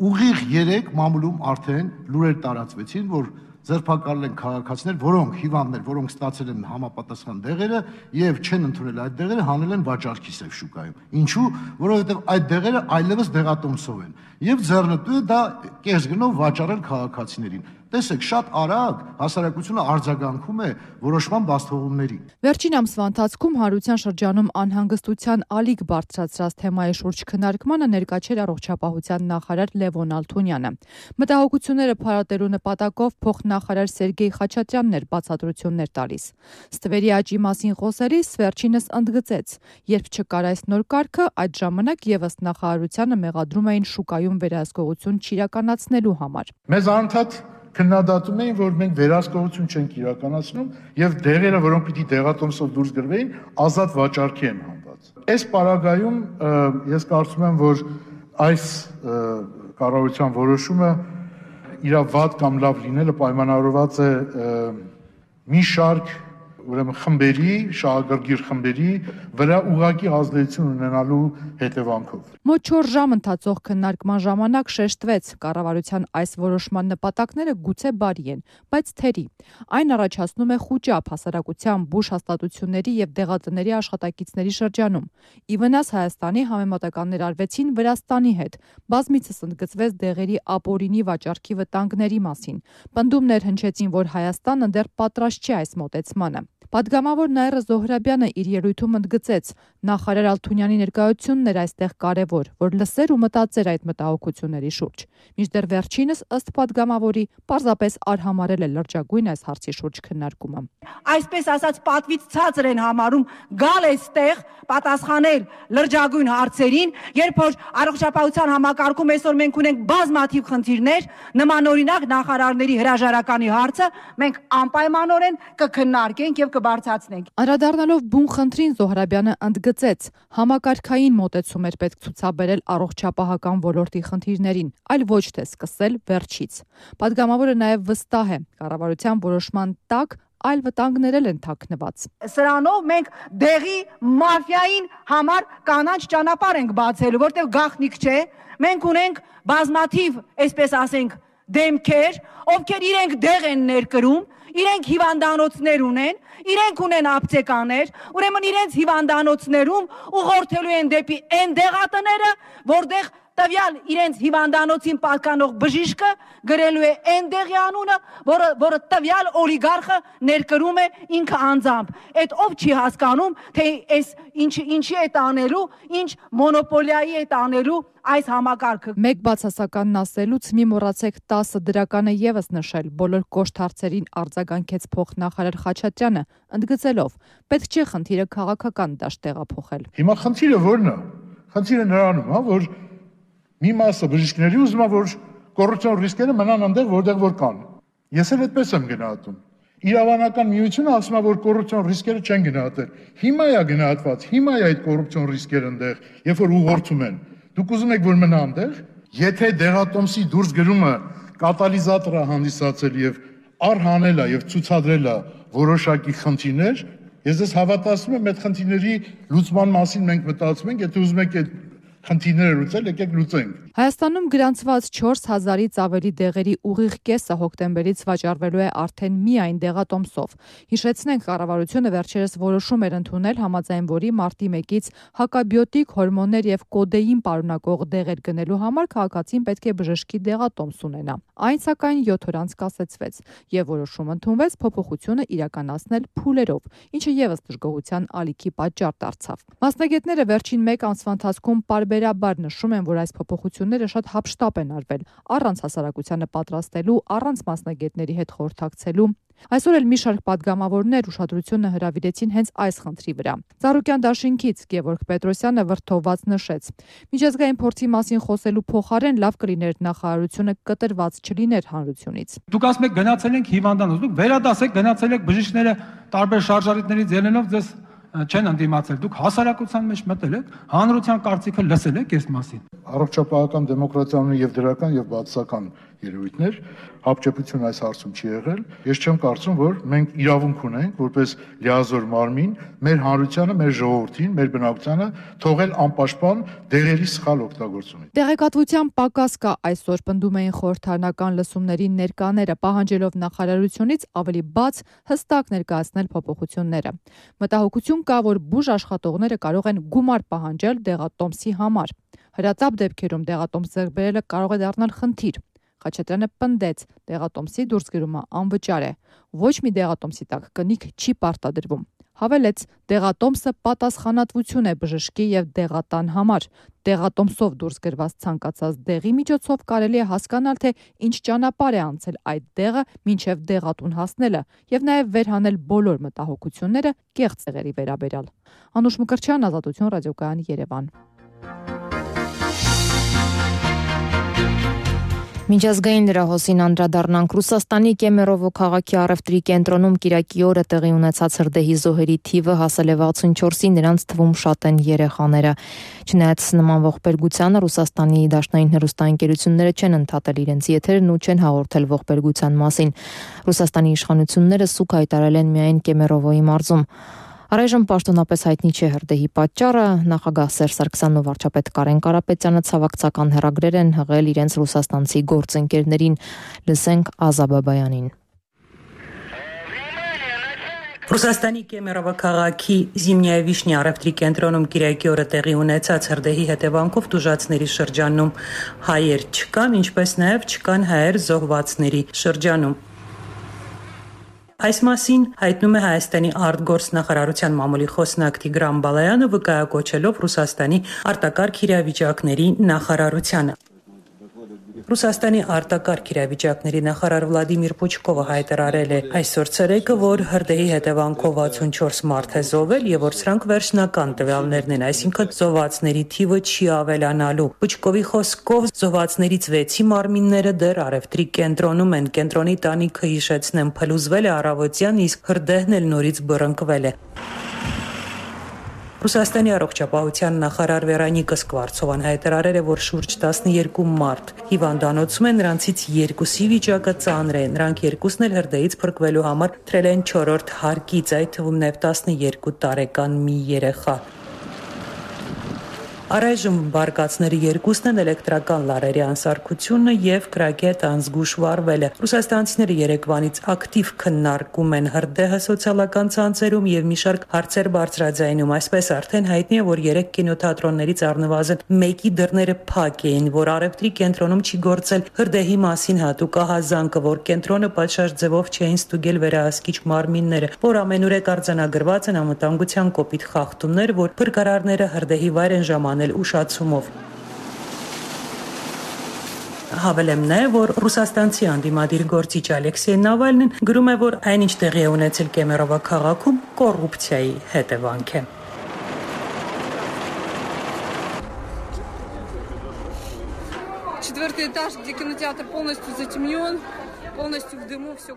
ուղիղ երեք մամուլում արդեն լուրեր տարածվեցին, որ ձերբակալել են քաղաքացիներ, որոնք հիվանդներ, որոնք ստացել են համապատասխան դեղերը եւ չեն ընդունել այդ դեղերը, հանել են վաճառքի սև շուկայում։ Ինչու՞, որովհետեւ այդ դեղերը այլևս դեղատոմսով են եւ ձեռնտու է դա կես գնով վաճառել քաղաքացիներին։ Տեսեք, շատ արագ հասարակությունը արձագանքում է որոշման բացթողումների։ Վերջին ամսվա ընթացքում հանրության շրջանում անհանգստության ալիք բարձրացրած թեմայի շուրջ քննարկմանը ներկա չէր առողջապահության նախարար Լևոն Ալթունյանը։ Մտահոգությունները փարատելու նպատակով փոխնախարար Սերգեյ Խաչատրյանն էր բացատրություններ տալիս։ Ստվերի աճի մասին խոսելիս վերջինս ընդգծեց, երբ չկար այս նոր կարգը, այդ ժամանակ եւս նախարարությանը մեղադրում էին շուկայում վերահսկողություն չիրականացնելու համար։ Մեզ անընդհատ քննադատում էին, որ մենք վերահսկողություն չենք իրականացնում եւ դեղերը, որոնք պիտի դեղատոմսով դուրս գրվեին, ազատ վաճառքի են հանված։ Այս պարագայում ես կարծում եմ, որ այս կառավարության որոշումը իր վատ կամ լավ լինելը պայմանավորված է մի շարք ուրեմն խմբերի, շահագրգիռ խմբերի վրա ուղղակի ազդեցություն ունենալու հետևանքով։ Մոտ չորս ժամ ընթացող քննարկման ժամանակ շեշտվեց, կառավարության այս որոշման նպատակները գուցե բարի են, բայց թերի։ Այն առաջացնում է խուճապ հասարակության բուժ հաստատությունների եւ դեղատների աշխատակիցների շրջանում։ Ի վնաս Հայաստանի համեմատականներ արվեցին Վրաստանի հետ։ Բազմիցս ընդգծվեց դեղերի ապօրինի վաճառքի վտանգների մասին։ Պնդումներ հնչեցին, որ Հայաստանը դեռ պատրաստ չէ այս մոտեցմանը։ Պատգամավոր Նաիրա Զոհրաբյանը իր ելույթում ընդգծեց, նախարար Ալթունյանի ներկայությունն էր այստեղ կարևոր, որ լսեր ու մտածեր այդ մտահոգությունների շուրջ։ Մինչդեռ վերջինս ըստ պատգամավորի պարզապես արհամարել է լրջագույն այս հարցի շուրջ քննարկումը։ Այսպես ասած պատվից ցածր են համարում գալ այստեղ պատասխանել լրջագույն հարցերին, երբ որ առողջապահության համակարգում այսօր մենք ունենք բազմաթիվ խնդիրներ, նմանօրինակ նախարարների հրաժարականի հարցը մենք անպայմանորեն կքննարկենք եւ կբարձրացնենք։ Անդրադառնալով բուն խնդրին Զոհրաբյանը ընդգծեց, համակարգային մոտեցում էր պետք ցուցաբերել առողջապահական ոլորտի խնդիրներին, այլ ոչ թե սկսել վերջից։ Պատգամավորը նաև վստահ է, կառավարության որոշման տակ այլ վտանգներ են թաքնված։ Սրանով մենք դեղի մաֆիային համար կանաչ ճանապարհ ենք բացելու, որտեղ գաղտնիք չէ, մենք ունենք բազմաթիվ, այսպես ասենք, դեմքեր, ովքեր իրենք դեղ են ներկրում, իրենք հիվանդանոցներ ունեն, իրենք ունեն ապտեկաներ, ուրեմն իրենց հիվանդանոցներում ուղղորդելու են դեպի այն դեղատները, որտեղ տվյալ իրենց հիվանդանոցին պատկանող բժիշկը գրելու է այն դեղի անունը, որը, որը տվյալ օլիգարխը ներկրում է ինքը անձամբ։ Այդ ով չի հասկանում, թե այս ինչ, ինչի է տանելու, ինչ մոնոպոլիայի է տանելու այս համակարգը։ Մեկ բացասականն ասելուց մի մոռացեք տասը դրականը եւս նշել, բոլոր կոշտ հարցերին արձագանքեց փոխնախարար Խաչատրյանը, ընդգծելով, պետք չէ խնդիրը քաղաքական դաշտ տեղափոխել։ Հիմա խնդիրը ո՞րն է։ Խնդիրը նրանում է, որ մի մասը բժիշկների ուզում է, որ կոռուպցիոն ռիսկերը մնան այնտեղ, որտեղ որ կան։ Ես էլ այդպես եմ գնահատում։ Իրավանական միությունը ասում է, որ կոռուպցիոն ռիսկերը չեն գնահատել։ Հիմա է գնահատված, հիմա է այդ կոռուպցիոն ռիսկերը այնտեղ, երբ որ ուղղորդում են։ Դուք ուզում եք, որ մնա այնտեղ։ Եթե դեղատոմսի դուրս գրումը կատալիզատոր է հանդիսացել եւ առհանել է եւ ցուցադրել է որոշակի խնդիրներ, ես ես հավատացնում եմ, այդ խնդիրների լուծման մասին մենք մտածում ենք, եթե ուզում եք այդ խնդիրները լուծել, եկեք լուծենք։ Հայաստանում գրանցված չորս հազարից ավելի դեղերի ուղիղ կեսը հոկտեմբերից վաճառվելու է արդեն միայն դեղատոմսով։ Հիշեցնենք, կառավարությունը վերջերս որոշում էր ընդունել, համաձայն որի մարտի մեկից հակաբիոտիկ, հորմոններ եւ կոդեին պարունակող դեղեր գնելու համար քաղաքացին պետք է բժշկի դեղատոմս ունենա։ Այն սակայն յոթ օր անց կասեցվեց եւ որոշում ընդունվեց փոփոխությունը իրականացնել փուլերով, ինչը եւս դժգոհության ալիքի պատճառ դարձավ։ Մասնագետները վերջին մեկ ամսվա ընթացքում պարբերաբար նշում են, որ այս փոփոխությունները շատ հապշտապ են արվել, առանց հասարակությանը պատրաստելու, առանց մասնագետների հետ խորհրդակցելու։ Այսօր էլ մի շարք պատգամավորներ ուշադրությունը հրավիրեցին հենց այս խնդրի վրա։ Ծառուկյան դաշինքից Գևորգ Պետրոսյանը վրդովված նշեց. Միջազգային փորձի մասին խոսելու փոխարեն լավ կլիներ նախարարությունը կտրված չլիներ հանրությունից։ Դուք ասում եք գնացել ենք հիվանդանոց, դուք վերադասեք, գնացել եք բժիշկները տարբեր շարժարիտներից ելնելով ձեզ չեն ընդդիմացել, դուք հասարակության մեջ մտել եք, հանրության կարծիքը լսել եք այս մասին։ Առողջապահական դեմոկրատիան ունի եւ դրական եւ բացասական երևույթներ, հապճեպություն այս հարցում չի եղել։ Ես չեմ կարծում, որ մենք իրավունք ունենք որպես լիազոր մարմին մեր հանրությանը, մեր ժողովրդին, մեր բնակչությանը թողել անպաշտպան դեղերի սխալ օգտագործումից։ Տեղեկատվության պակաս կա, այսօր պնդում էին խորհրդարանական լսումների ներկաները, պահանջելով նախարարությունից ավելի բաց, հստակ ներկայացնել փոփոխությունները։ Մտահոգություն կա, որ բուժ աշխատողները կարող են գումար պահանջել դեղատոմսի համար։ Հրատապ դեպքերում դեղատոմս ձեռք բերելը կարող է դառնալ խնդիր։ Խաչատրյանը պնդեց, դեղատոմսի դուրսգրումը անվճար է։ Ոչ մի դեղատոմսի տակ կնիք չի պարտադրվում։ Հավելեց, դեղատոմսը պատասխանատվություն է բժշկի եւ դեղատան համար։ Դեղատոմսով դուրս գրված ցանկացած դեղի միջոցով կարելի է հասկանալ, թե ինչ ճանապարհ է անցել այդ դեղը մինչև դեղատուն հասնելը եւ նաեւ վերհանել բոլոր մտահոգությունները կեղծ դեղերի վերաբերյալ։ Անուշ Մկրտչյան, Ազատություն, ռադիոկայան, Երևան։ Միջազգային լրահոսին անդրադառնանք Ռուսաստանի Կեմերովո քաղաքի առևտրի կենտրոնում կիրակի օրը տեղի ունեցած հրդեհի զոհերի թիվը հասել է վաթսունչորսի, նրանց թվում շատ են երեխաները։ Չնայած նման ողբերգությանը Ռուսաստանի դաշնային հեռուստաընկերությունները չեն ընդհատել իրենց եթերն ու չեն հաղորդել ողբերգության մասին։ Ռուսաստանի իշխանությունները սուկ հայտարարել են միայն Կեմերովոյի մարզում։ Առայժմ պաշտոնապես հայտնի չէ հրդեհի պատճառը, նախագահ Սերժ Սարգսյանն ու վարչապետ Կարեն Կարապետյանը ցավակցական հեռագրեր են հղել իրենց ռուսաստանցի գործընկերներին։ Լսենք Ազա Բաբայանին։ Ռուսաստանի Կեմերովո քաղաքի Զիմնյայե Վիշնի առևտրի կենտրոնում կիրակի օրը տեղի ունեցած հրդեհի հետևանքով տուժածների շրջանում հայեր չկան, ինչպես նաև չկան հայեր զոհվածների շրջանում։ Այս մասին հայտնում է Հայաստանի արտգործնախարարության մամուլի խոսնակ Տիգրան Բալայանը, վկայակոչելով Ռուսաստանի արտակարգ իրավիճակների նախարարությանը։ Ռուսաստանի արտակարգ իրավիճակների նախարար Վլադիմիր Պուչկովը հայտարարել է այսօր ցերեկը, որ հրդեհի հետևանքով վաթսունչորս մարդ է զոհվել եւ որ սրանք վերջնական տվյալներն են, այսինքն զոհվածների թիվը չի ավելանալու։ Պուչկովի խոսքով զոհվածներից վեցի մարմինները դեռ առևտրի կենտրոնում են։ Կենտրոնի տանիքը, հիշեցնեմ, փլուզվել է առավոտյան, իսկ հրդեհն էլ նորից բռնկվել է։ Ռուսաստանի առողջապահության նախարար Վերոնիկա Սկվարցովան հայտարարել է, որ շուրջ տասներկու մարդ հիվանդանոցում են, նրանցից երկուսի վիճակը ծանր է։ Նրանք երկուսն էլ հրդեհից փրկվելու համար թրել են չորրորդ հարկից, այդ թվում նաև տասներկու տարեկան մի երեխա։ Առայժմ բարկացների երկուսն են էլեկտրական լարերի անսարքությունը եւ կրակետ անզգուշ վարվել է։ Ռուսաստանցիները երեկվանից ակտիվ քննարկում են հրդեհը սոցիալական ցանցերում եւ մի շարք հարցեր բարձրաձայնում։ Այսպես արդեն հայտնի է, որ երեք կինոթատրոններից առնվազն մեկի դռները փակ էին, որ առևտրի կենտրոնում չի գործել հրդեհի մասին հատուկ ահազանգը, որ կենտրոնը պատշաճ ձևով չէին ստուգել վերահսկիչ մարմինները, որ ամենուրեք արձանագրված են անվտանգության կոպիտ խախտումներ, որ փրկարարները հրդեհի վայր են ժամանել ուշացումով։ Հավելեմ նաև, որ ռուսաստանցի անդիմադիր գործիչ Ալեքսեյ Նավալնին գրում է, որ այնինչ տեղի է ունեցել Կեմերովո քաղաքում կոռուպցիայի հետևանք է։ Четвертый этаж, где кинотеатр полностью затемнен.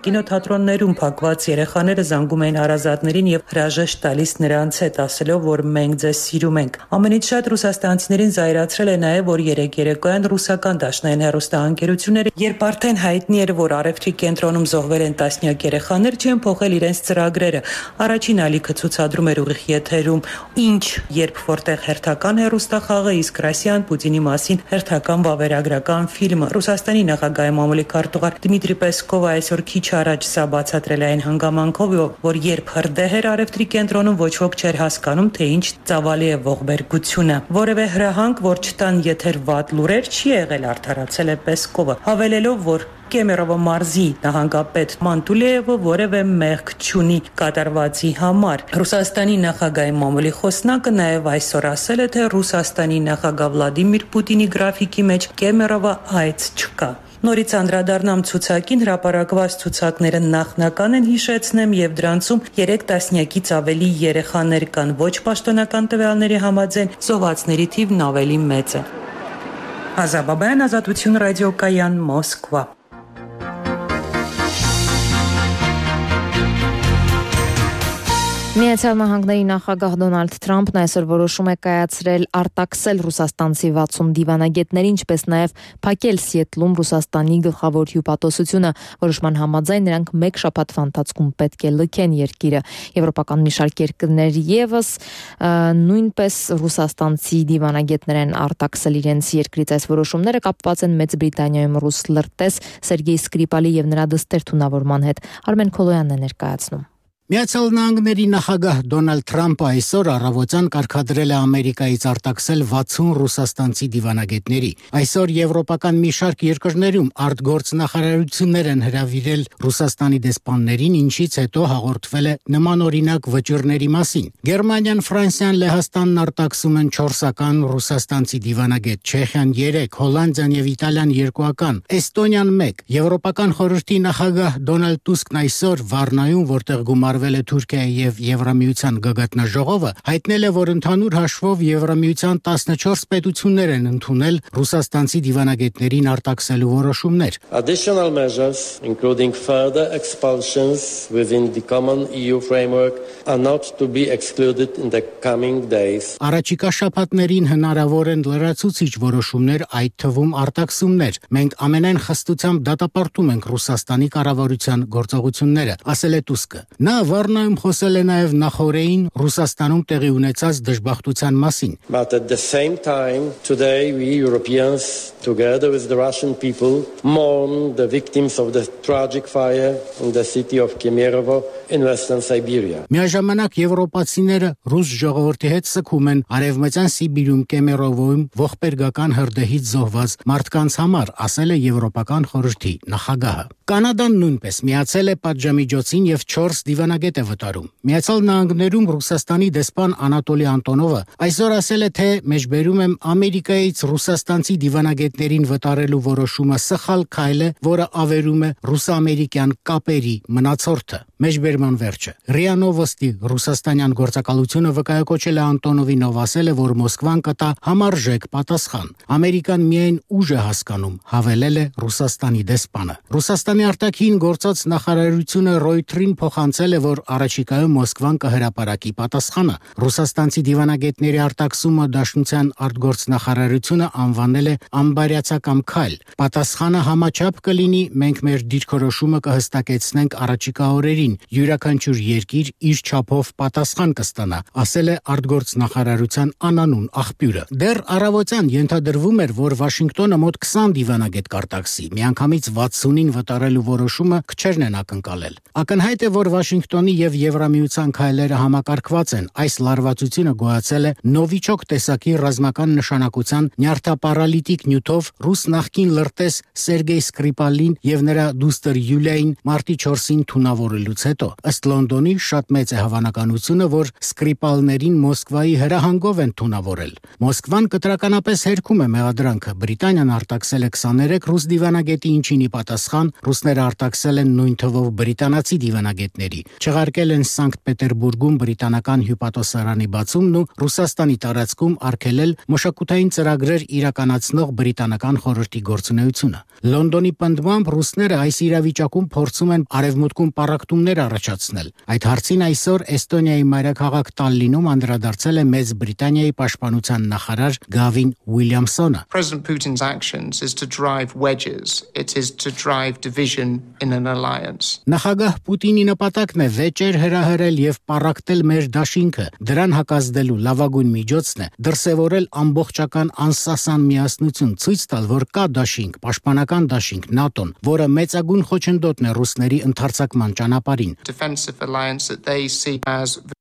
Կինոթատրոններում փակված երեխաները զանգում էին հարազատներին եւ հրաժեշտ տալիս նրանց հետ, ասելով, որ մենք ձեզ սիրում ենք։ Ամենից շատ ռուսաստանցիներին զայրացրել է նաեւ, որ երեք երեկոյան ռուսական դաշնային հեռուստաընկերությունները, երբ արդեն հայտնի էր, որ առևտրի կենտրոնում զոհվել են տասնյակ երեխաներ, չեն փոխել իրենց ծրագրերը։ Առաջին ալիքը ցուցադրում էր ուղիղ եթերում, ինչ, երբ որտեղ հերթական հեռուստախաղը, իսկ Ռասիան Պուտինի մասին հերթական վավերագրական ֆիլմը։ Ռուսաստանի նախագահի մամուլի քարտուղար Դմիտրի Պեսկովը այսօր քիչ առաջ սա բացատրել է այն հանգամանքով, որ երբ հրդեհ էր առևտրի կենտրոնում, ոչ ոք չէր հասկանում, թե ինչ ծավալի է ողբերգությունը։ Որևէ հրահանգ, որ չտան եթեր վատ լուրեր, չի եղել, արդարացել է Պեսկովը, հավելելով, որ Կեմերովո մարզի նահանգապետ Մանտուլեևը որևէ մեղք չունի կատարվածի համար։ Ռուսաստանի նախագահի մամուլի խոսնակը նաև այսօր ասել է, թե Ռուսաստանի նախագահ Վլադիմիր Պուտինի գրաֆիկի մեջ Կեմերովո այց չկա։ Նորից անդրադառնամ ցուցակին, հրապարակված ցուցակները նախնական են, հիշեցնեմ, եւ դրանցում երեք տասնյակից ավելի երեխաներ կան։ Ոչ պաշտոնական տվյալների համաձայն զոհվածների թիվն ավելի մեծ է։ Ազա Բաբայան, Ազատություն, ռադիոկայան, Մոսկվա։ Միացյալ Նահանգների նախագահ Դոնալդ Թրամփն այսօր որոշում է կայացրել արտաքսել ռուսաստանցի վաթսուն դիվանագետների, ինչպես նաև փակել Սիեթլում Ռուսաստանի գլխավոր հյուպատոսությունը, որոշման համաձայն նրանք մեկ շաբաթվա ընթացքում պետք է լքեն երկիրը։ Եվրոպական մի շարք երկրներ եւս նույնպես ռուսաստանցի դիվանագետներ են արտաքսել իրենց երկրից։ Այս որոշումները կապված են Մեծ Բրիտանիայում ռուս լրտես Սերգեյ Սկրիպալի եւ նրա դստեր թունավորման հետ։ Արմեն Քոլոյանն է ներկայացնում։ Միացյալ Նահանգների նախագահ Դոնալդ Թրամփը այսօր առավոտյան կարգադրել է Ամերիկայից արտաքսել վաթսուն ռուսաստանցի դիվանագետների։ Այսօր եվրոպական մի շարք երկրներում արտգործնախարարություններ են հրավիրել Ռուսաստանի դեսպաններին, ինչից հետո հաղորդվել է նմանօրինակ վճիռների մասին։ Գերմանիան, Ֆրանսիան, Լեհաստանն արտաքսում են չորսական ռուսաստանցի դիվանագետ, Չեխիան երեք, Հոլանդիան եւ Իտալիան երկուական, Էստոնիան մեկ։ Եվրոպական խորհրդի նախագահ Դոնալդ Տուսկն այսօր Վառնայում, որտեղ գումար Թուրքիայի եւ Եվրամիության գագաթնաժողովը հայտնել է, որ ընդհանուր հաշվով Եվրամիության տասնչորս պետություններ են ընդունել ռուսաստանցի դիվանագետներին արտաքսելու որոշումներ։ Additional measures, including further expulsions within the common E U framework, are not to be excluded in the coming days. Առաջիկա շաբաթներին հնարավոր են լրացուցիչ որոշումներ, այդ թվում արտաքսումներ։ Մենք ամենայն խստությամբ դատապարտում ենք Ռուսաստանի կառավարության գործողությունները, ասել է Տուսկը։ Նա Վառնայում խոսել է նաև նախօրեին Ռուսաստանում տեղի ունեցած դժբախտության մասին։ But at the same time, today we Europeans, together with the Russian people, mourn the victims of the tragic fire in the city of Kemerovo in Western Siberia. Միաժամանակ եվրոպացիները ռուս ժողովրդի հետ սգում են Արևմտյան Սիբիրում Կեմերովոյում ողբերգական հրդեհից զոհված մարդկանց համար, ասել է Եվրոպական խորհրդի նախագահը։ Կանադան նույնպես միացել է պատժամիջոցին եւ չորս դիվանագետ է վտարում։ Միացյալ Նահանգներում Ռուսաստանի դեսպան Անատոլի Անտոնովը այսօր ասել է, թե մեջբերում եմ Ամերիկայից ռուսաստանցի դիվանագետներին վտարելու որոշումը սխալ քայլ է, որը ավերում է ռուս-ամերիկյան կապերի մնացորդը։ Մեջբերման վերջը։ ՌԻԱ Նովոստի ռուսաստանյան գործակալությունը վկայակոչել է Անտոնովին, ով ասել է, որ Մոսկվան կտա համարժեք պատասխան։ Ամերիկան միայն ուժ է հասկանում, հավելել է Ռուսաստանի դեսպանը։ Ռուսաստանի արտաքին գործած նախարարությունը Ռոյթերին փոխանցել է, որ առաջիկայում Մոսկվան կհրապարակի պատասխանը։ Ռուսաստանցի դիվանագետների արտաքսումը Դաշնության արտգործնախարարությունը անվանել է ամբարյացակամ քայլ։ Պատասխանը համաչափ կլինի, մենք մեր դիրքորոշումը կհստակեցնենք առաջիկա օրերին, յուրաքանչյուր երկիր իր չափով պատասխան կստանա, ասել է արտգործնախարարության անանուն աղբյուրը։ Դեռ առավոտյան ենթադրվում էր, որ Վաշինգտոնը մոտ քսան դիվանագետ կարտաքսի, միանգամից վաթսունին վտարելու որոշումը քչերն են ակնկալել։ Ակնհայտ է, որ Վաշինգտոնի եւ Եվրամիության քայլերը համակարգված են։ Այս լարվածությունը գոյացել է նովիչոկ տեսակի ռազմական նշանակության նյարդապարալիտիկ նյութով ռուս նախկին լրտես Սերգեյ Սկրիպալին եւ նրա դուստր Յուլիային մարտի չորսին թունավորելուց հետո։ Ըստ Լոնդոնի շատ մեծ է հավանականությունը, որ Սկրիպալներին Մոսկվայի հրահանգով են թունավորել։ Մոսկվան կտրականապես հերքում է մեղադրանքը։ Բրիտանիան արտաքսել է քսաներեք ռուս դիվանագետի, ինչին ի պատասխան ռուսները արտաքսել են նույն թվով բրիտանացի դիվանագետների։ Չեղարկել են Սանկտ Պետերբուրգում բրիտանական հյուպատոսարանի բացումն ու Ռուսաստանի տարածքում արգելել մշակութային ծրագրեր իրականացնող բրիտանական խորհրդի գործունեությունը։ Լոնդոնի պնդմամբ ռուսները այս իրավիճակում փորձում են արևմուտքում պառակտումներ առաջացնել։ Այդ հարցին այսօր Էստոնիայի մայրաքաղաք Տալլինում անդրադարձել է Մեծ Բրիտանիայի պաշտպանության նախարար Գավին Ուիլյամսոնը։ President Putin's actions is to drive wedges. It is to drive division in an alliance. Նախագահ Պուտինի նպատակն է վեճեր հրահրել եւ պառակտել մեր դաշինքը։ Դրան հակազդելու լավագույն միջոցն է դրսևորել ամբողջական անսասան միասնություն, ցույց տալ, որ կա դաշինք, պաշտպանական դաշինք ՆԱՏՕ-ն, որը մեծագույն խոչընդոտն է ռուսների ընդարձակման ճանապարհին։ Defensive alliance that they see as the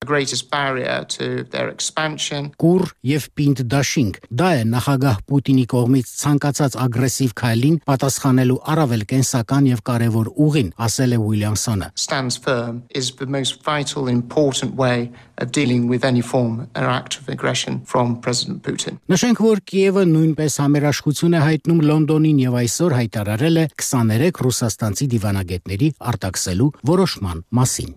greatest barrier to their expansion. Կուր եւ պինդ դաշինք։ Դա է նախագահ Պուտինի կողմից ցանկացած ագրեսիվ քայլին պատասխանելու առավել կենսական եւ կարեւոր ուղին, ասել է Ուիլյամսոնը։ Stands firm is the most vital important way of dealing with any form or act of aggression from President Putin. Նշենք, որ Կիևը նույնպես համերաշխություն է հայտնում Լոնդոնին եւ այսօր հայտարարել է քսաներեք ռուսաստանցի դիվանագետների արտաքսելու որոշման մասին։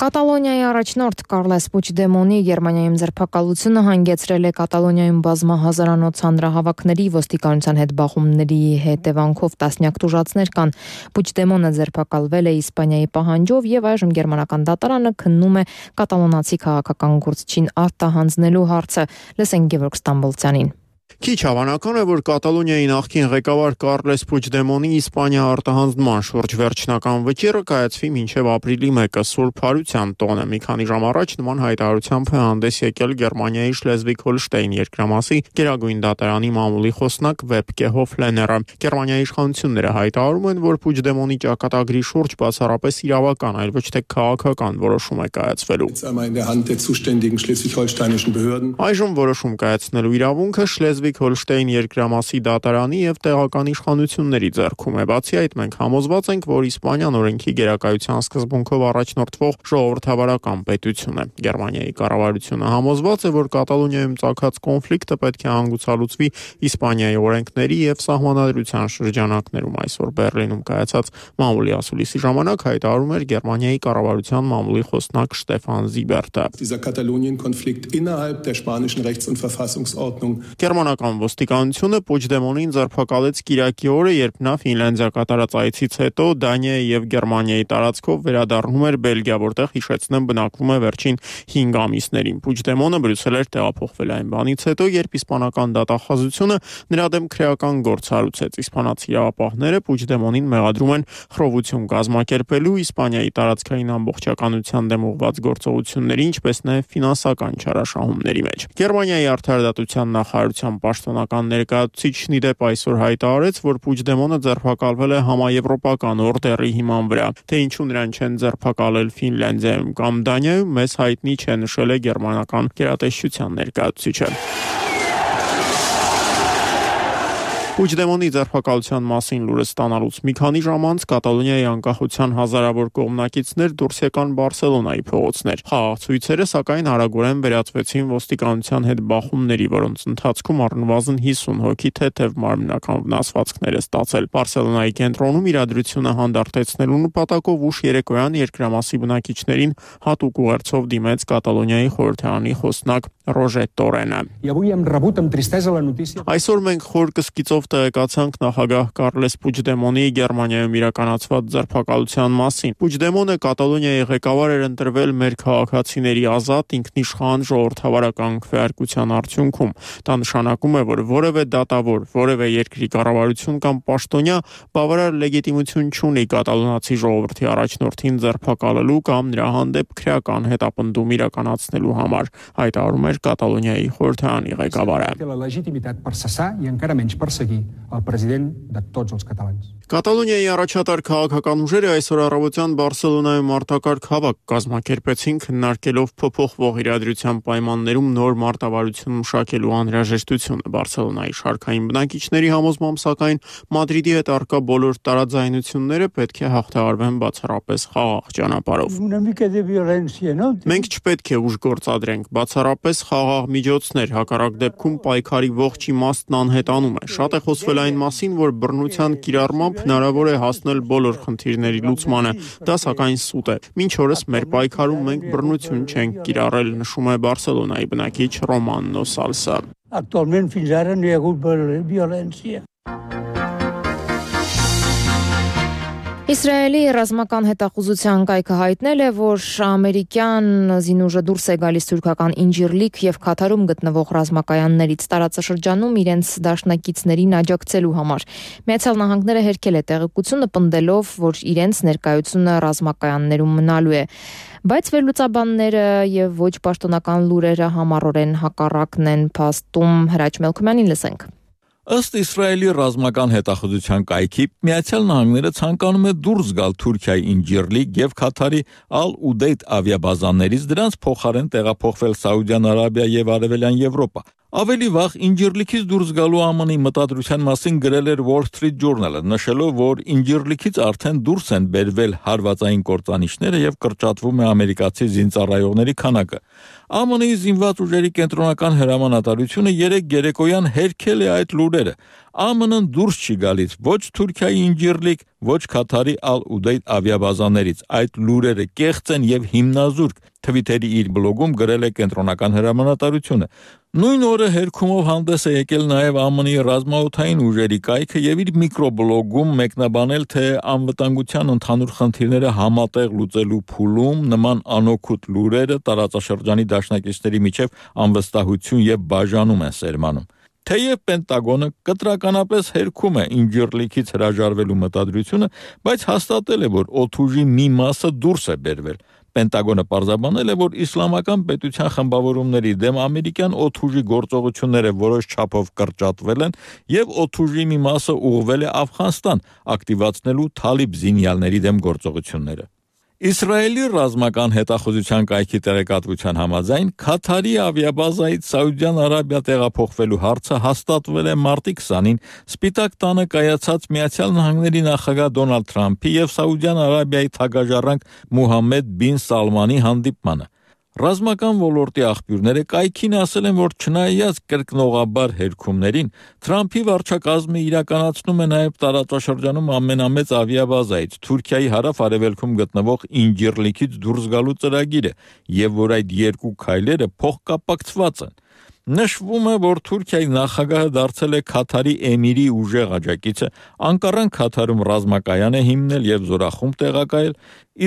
Կատալոնիայի առաջնորդ Կարլես Պուչդեմոնի Գերմանիայում ձերբակալությունը հանգեցրել է Կատալոնիայում բազմահազարանոց հանրահավաքների, ոստիկանության հետ բախումների հետևանքով տասնյակ տուժածներ կան։ Պուչդեմոնը ձերբակալվել է Իսպանիայի պահանջով եւ այժմ գերմանական դատարանը քննում է կատալոնացի քաղաքական գործչին արտահանձնելու հարցը։ Լսենք Գևորգ Ստամբոլցյանին։ Քիչ հավանական է, որ Կատալոնիայի նախկին ղեկավար Կարլես Պուչդեմոնի Իսպանիա արտահանձնման շուրջ վերջնական վճիռը կայացվի մինչև ապրիլի մեկը Սուրբ Հարության տոնը։ Մի քանի ժամ առաջ նման հայտարարությամբ է հանդես եկել Գերմանիայի Շլեզվիգ-Հոլշտեյն երկրամասի Գերագույն դատարանի մամուլի խոսնակ Վեբկե Հոֆլեները։ Գերմանիայի իշխանությունները հայտարարում են, որ Պուչդեմոնի ճակատագրի շուրջ բացառապես իրավական, այլ ոչ թե քաղաքական որոշում է կայացվելու։ Այժմ որոշում կայացնելու իրավունքը Շլեզվիգ-Հոլշտեյն երկրամասի դատարանի եւ տեղական իշխանությունների ձեռքում է։ Բացի այդ, մենք համոզված ենք, որ Իսպանիան օրենքի գերակայության սկզբունքով առաջնորդվող ժողովրդավարական պետություն է։ Գերմանիայի կառավարությունը համոզված է, որ Կատալոնիայում ծագած կոնֆլիկտը պետք է հանգուցալուծվի Իսպանիայի օրենքների եւ սահմանադրության շրջանակներում։ Այսօր Բեռլինում կայացած մամուլի ասուլիսի ժամանակ հայտարարում էր Գերմանիայի կառավարության մամուլի խոսնակ Շտեֆան Զիբերտը։ Գերմանական ոստիկանությունը Պուչդեմոնին ձերբակալեց Կիրակի օրը, երբ նա Ֆինլանդիա կատարած այցից հետո Դանիայի եւ Գերմանիայի տարածքով վերադառնում էր Բելգիա, որտեղ հիշեցնեմ բնակվում է վերջին հինգ ամիսներին։ Պուչդեմոնը Բրյուսել էր տեղափոխվել այն բանից հետո, երբ իսպանական դատախազությունը նրա դեմ քրեական գործ հարուցեց։ Իսպանացի իրավապահները Պուչդեմոնին մեղադրում են խռովություն կազմակերպելու, Իսպանիայի տարածքային ամբողջականության դեմ ուղղված գործողությունների, ինչպես նաեւ ֆինանսական չարաշահումների մեջ։ Գերմանիայի արդարադատության նախարարության պաշտոնական ներկայացուցիչն ի դեպ այսօր հայտարարեց, որ Պուչդեմոնը ձերբակալվել է համաեվրոպական օրդերի հիման վրա։ Թե ինչու նրան չեն ձերբակալել Ֆինլանդիայում կամ Դանիայում, մեզ հայտնի չէ, նշել է գերմանական գերատեսչության ներկայացուցիչը։ Պուչդեմոնի ձերբակալության մասին լուրը ստանալուց մի քանի ժամ անց Կատալոնիայի անկախության հազարավոր կողմնակիցներ դուրս եկան Բարսելոնայի փողոցներ։ Խաղաղցույցերը սակայն արագորեն վերածվեցին ոստիկանության հետ բախումների, որոնց ընթացքում առնվազն հիսուն հոգի թեթև մարմնական վնասվածքներ է ստացել։ Բարսելոնայի կենտրոնում իրադրությունը հանդարտեցնելու նպատակով ուշ երեկոյան երկրամասի բնակիչներին հատուկ ուղերձով դիմեց Կատալոնիայի խորհրդարանի խոսնակ Ռոժե Տորենը։ Այսօր մենք խոր կսկիծով տեղեկացանք նախագահ Կարլես Պուչդեմոնի Գերմանիայում իրականացված ձերբակալության մասին։ Պուչդեմոնը Կատալոնիայի ղեկավար էր ընտրվել մեր քաղաքացիների ազատ, ինքնիշխան ժողովրդավարական քվեարկության արդյունքում։ Դա նշանակում է, որ որևէ դատավոր, որևէ երկրի կառավարություն կամ պաշտոնյա բավարար լեգիտիմություն չունի կատալոնացի ժողովրդի առաջնորդին ձերբակալելու կամ նրա հանդեպ քրեական հետապնդում իրականացնելու համար, հայտարարում էր Կատալոնիայի խորհրդարանի ղեկավարը։ Կատալոնիայի առաջատար քաղաքական ուժերը այսօր առավոտյան Բարսելոնայում արտակարգ հավաք կազմակերպեցին, քննարկելով փոփոխվող իրադրության պայմաններում նոր մարտավարություն մշակելու անհրաժեշտությունը։ Բարսելոնայի շարքային բնակիչների համոզմամբ, սակայն Մադրիդի հետ առկա բոլոր տարաձայնությունները պետք է հաղթահարվեն բացառապես խաղաղ ճանապարհով։ Մենք չպետք է ուժ գործադրենք, բացառապես խաղաղ միջոցներ, հակառակ դեպքում պայքարի ողջ իմաստն անհետանում է։ Շատ է խոսվել այն մասին, որ բռնության կիրառմամբ հնարավոր է հասնել բոլոր խնդիրների լուծմանը։ Դա սակայն սուտ է։ Մինչ օրս մեր պայքարում մենք բռնություն չենք կիրառել, նշում է Բարսելոնայի բնակիչ Ռոման Նոսալսը։ Actualment fins ara no hi ha hagut violència. Իսրայելի ռազմական հետախուզության կայքը հայտնել է, որ ամերիկյան զինուժը դուրս է գալիս թուրքական Ինջիրլիկ եւ Քաթարում գտնվող ռազմակայաններից տարածաշրջանում իրենց դաշնակիցներին աջակցելու համար։ Միացյալ Նահանգները հերքել է տեղեկությունը, պնդելով, որ իրենց ներկայությունը ռազմակայաններում մնալու է։ Բայց վերլուծաբանները եւ ոչ պաշտոնական լուրերը համառորեն հակառակն են փաստում։ Հրաչ Մելքոյանին լսենք։ Ըստ Իսրայելի ռազմական հետախուզության կայքի, Միացյալ Նահանգները ցանկանում է դուրս գալ Թուրքիայի Ինջիրլիկ եւ Քաթարի Ալ-Ուդեյդ ավիաբազաներից, դրանց փոխարեն տեղափոխվել Սաուդյան Արաբիա եւ Արևելյան Եվրոպա։ Ավելի վաղ Ինջիրլիքից դուրս գալու Է Մ Ն-ի մտադրության մասին գրել էր Wall Street Journal-ը, նշելով, որ Ինջիրլիքից արդեն դուրս են բերվել հարվածային կործանիչները եւ կրճատվում է ամերիկացի զինծառայողների քանակը։ Է Մ Ն-ի զինված ուժերի կենտրոնական հրամանատարությունը երեք երեկոյան հերքել է այդ լուրերը։ Է Մ Ն-ն դուրս չի գալիս ոչ Թուրքիայի Ինջիրլիկ, ոչ Քաթարի Ալ-Ուդեյդ ավիաբազաներից։ Այդ լուրերը կեղծ են եւ հիմնազուրկ, Թվիտերի իր բլոգում գրել է կենտրոնական հրամանատարությունը։ Նույն օրը հերքումով հանդես է եկել նաև Է Մ Ն-ի ռազմաօդային ուժերի կայքը եւ իր միկրոբլոգում մեկնաբանել, թե անվտանգության ընդհանուր խնդիրները համատեղ լուծելու փուլում նման անօգուտ լուրերը տարածաշրջանի դաշնակիցների միջև անվստահություն եւ բաժանում են սերմանում։ Թեև Պենտագոնը կտրականապես հերքում է Ինջիրլիքից հրաժարվելու մտադրությունը, բայց հաստատել է, որ օդուժի մի մասը դուրս է բերվել։ Պենտագոնը պարզաբանել է, որ իսլամական պետության խմբավորումների դեմ ամերիկյան օդուժի գործողությունները որոշ չափով կրճատվել են եւ օդուժի մի մասը ուղղվել է Աֆղանստան, ակտիվացնելու թալիբ զինյալների դեմ գործողությունները։ Իսրայելի ռազմական հետախուզության կայքի տեղեկատվության համաձայն Քաթարի ավիաբազայից Սաուդյան Արաբիա տեղափոխվելու հարցը հաստատվել է մարտի քսանին Սպիտակ տանը կայացած Միացյալ Նահանգների նախագահ Դոնալդ Թրամփի եւ Սաուդյան Արաբիայի թագաժառանգ Մուհամմեդ բին Սալմանի հանդիպմանը։ Ռազմական ոլորտի աղբյուրները կայքին ասել են, որ չնայած կրկնողաբար հերքումներին, Թրամփի վարչակազմը իրականացնում է նաև տարածաշրջանում ամենամեծ ավիաբազայից Թուրքիայի հարավ-արևելքում գտնվող Ինջիրլիքից դուրս գալու ծրագիրը, եւ որ այդ երկու քայլերը փոխկապակցված են։ Նշվում է, որ Թուրքիայի նախագահը դարձել է Քաթարի էմիրի ուժեղ աջակիցը, Անկարան Քաթարում ռազմակայան է հիմնել եւ զորախումբ տեղակայել,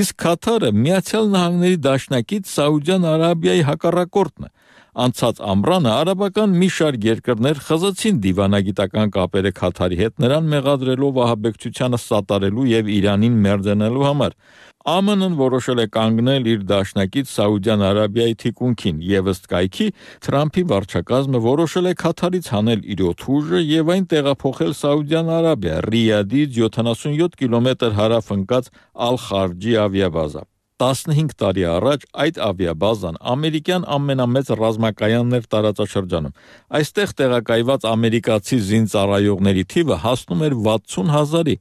իսկ Քաթարը Միացյալ Նահանգների դաշնակից Սաուդյան Արաբիայի հակառակորդն է։ Անցած ամռանը արաբական մի շարք երկրներ խզացին դիվանագիտական կապերը Քաթարի հետ, նրան մեղադրելով ահաբեկչությանը սատարելու եւ Իրանին մերձենալու համար։ Է Մ Ն-ն որոշել է կանգնել իր դաշնակից Սաուդյան Արաբիայի թիկունքին եւ ըստ կայքի Թրամփի վարչակազմը որոշել է Քաթարից հանել իր օդուժը եւ այն տեղափոխել Սաուդյան Արաբիա, Ռիադից յոթանասունյոթ կիլոմետր հարավ ընկած Ալ-Խարջի ավիաբազա։ տասնհինգ տարի առաջ այդ ավիաբազան ամերիկյան ամենամեծ ռազմակայանն էր տարածաշրջանում։ Այստեղ տեղակայված ամերիկացի զինծառայողների թիվը հասնում էր վաթսուն հազարի։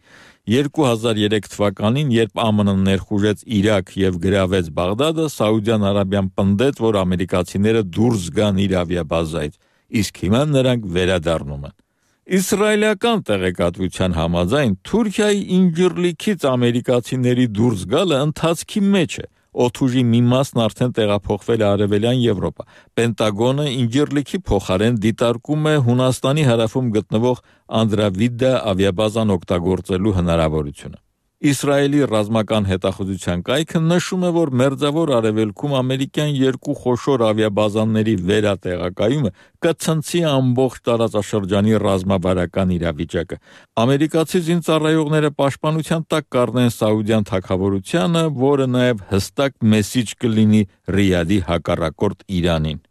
երկու հազար երեք թվականին, երբ Է Մ Ն-ն ներխուժեց Իրաք եւ գրավեց Բաղդադը, Սաուդյան Արաբիան պնդեց, որ ամերիկացիները դուրս գան իր ավիաբազայից, իսկ հիմա նրանք վերադառնում են։ Իսրայելական տեղեկատվության համաձայն Թուրքիայի Ինջիրլիքից ամերիկացիների դուրս գալը ընթացքի մեջ է։ Օդուժի մի մասն արդեն տեղափոխվել է Արևելյան Եվրոպա։ Պենտագոնը Ինջիրլիքի փոխարեն դիտարկում է Հունաստանի հարավում գտնվող Անդրավիդա ավիաբազան օգտագործելու հնարավորությունը։ Իսրայելի ռազմական հետախուզության կայքը նշում է, որ Մերձավոր Արևելքում ամերիկյան երկու խոշոր ավիաբազաների վերատեղակայումը կցնցի ամբողջ տարածաշրջանի ռազմավարական իրավիճակը։ Ամերիկացի զինծառայողները պաշտպանության տակ կառնեն Սաուդյան թագավորությանը, որը նաև հստակ մեսիջ կլինի Ռիադի հակառակորդ Իրանին։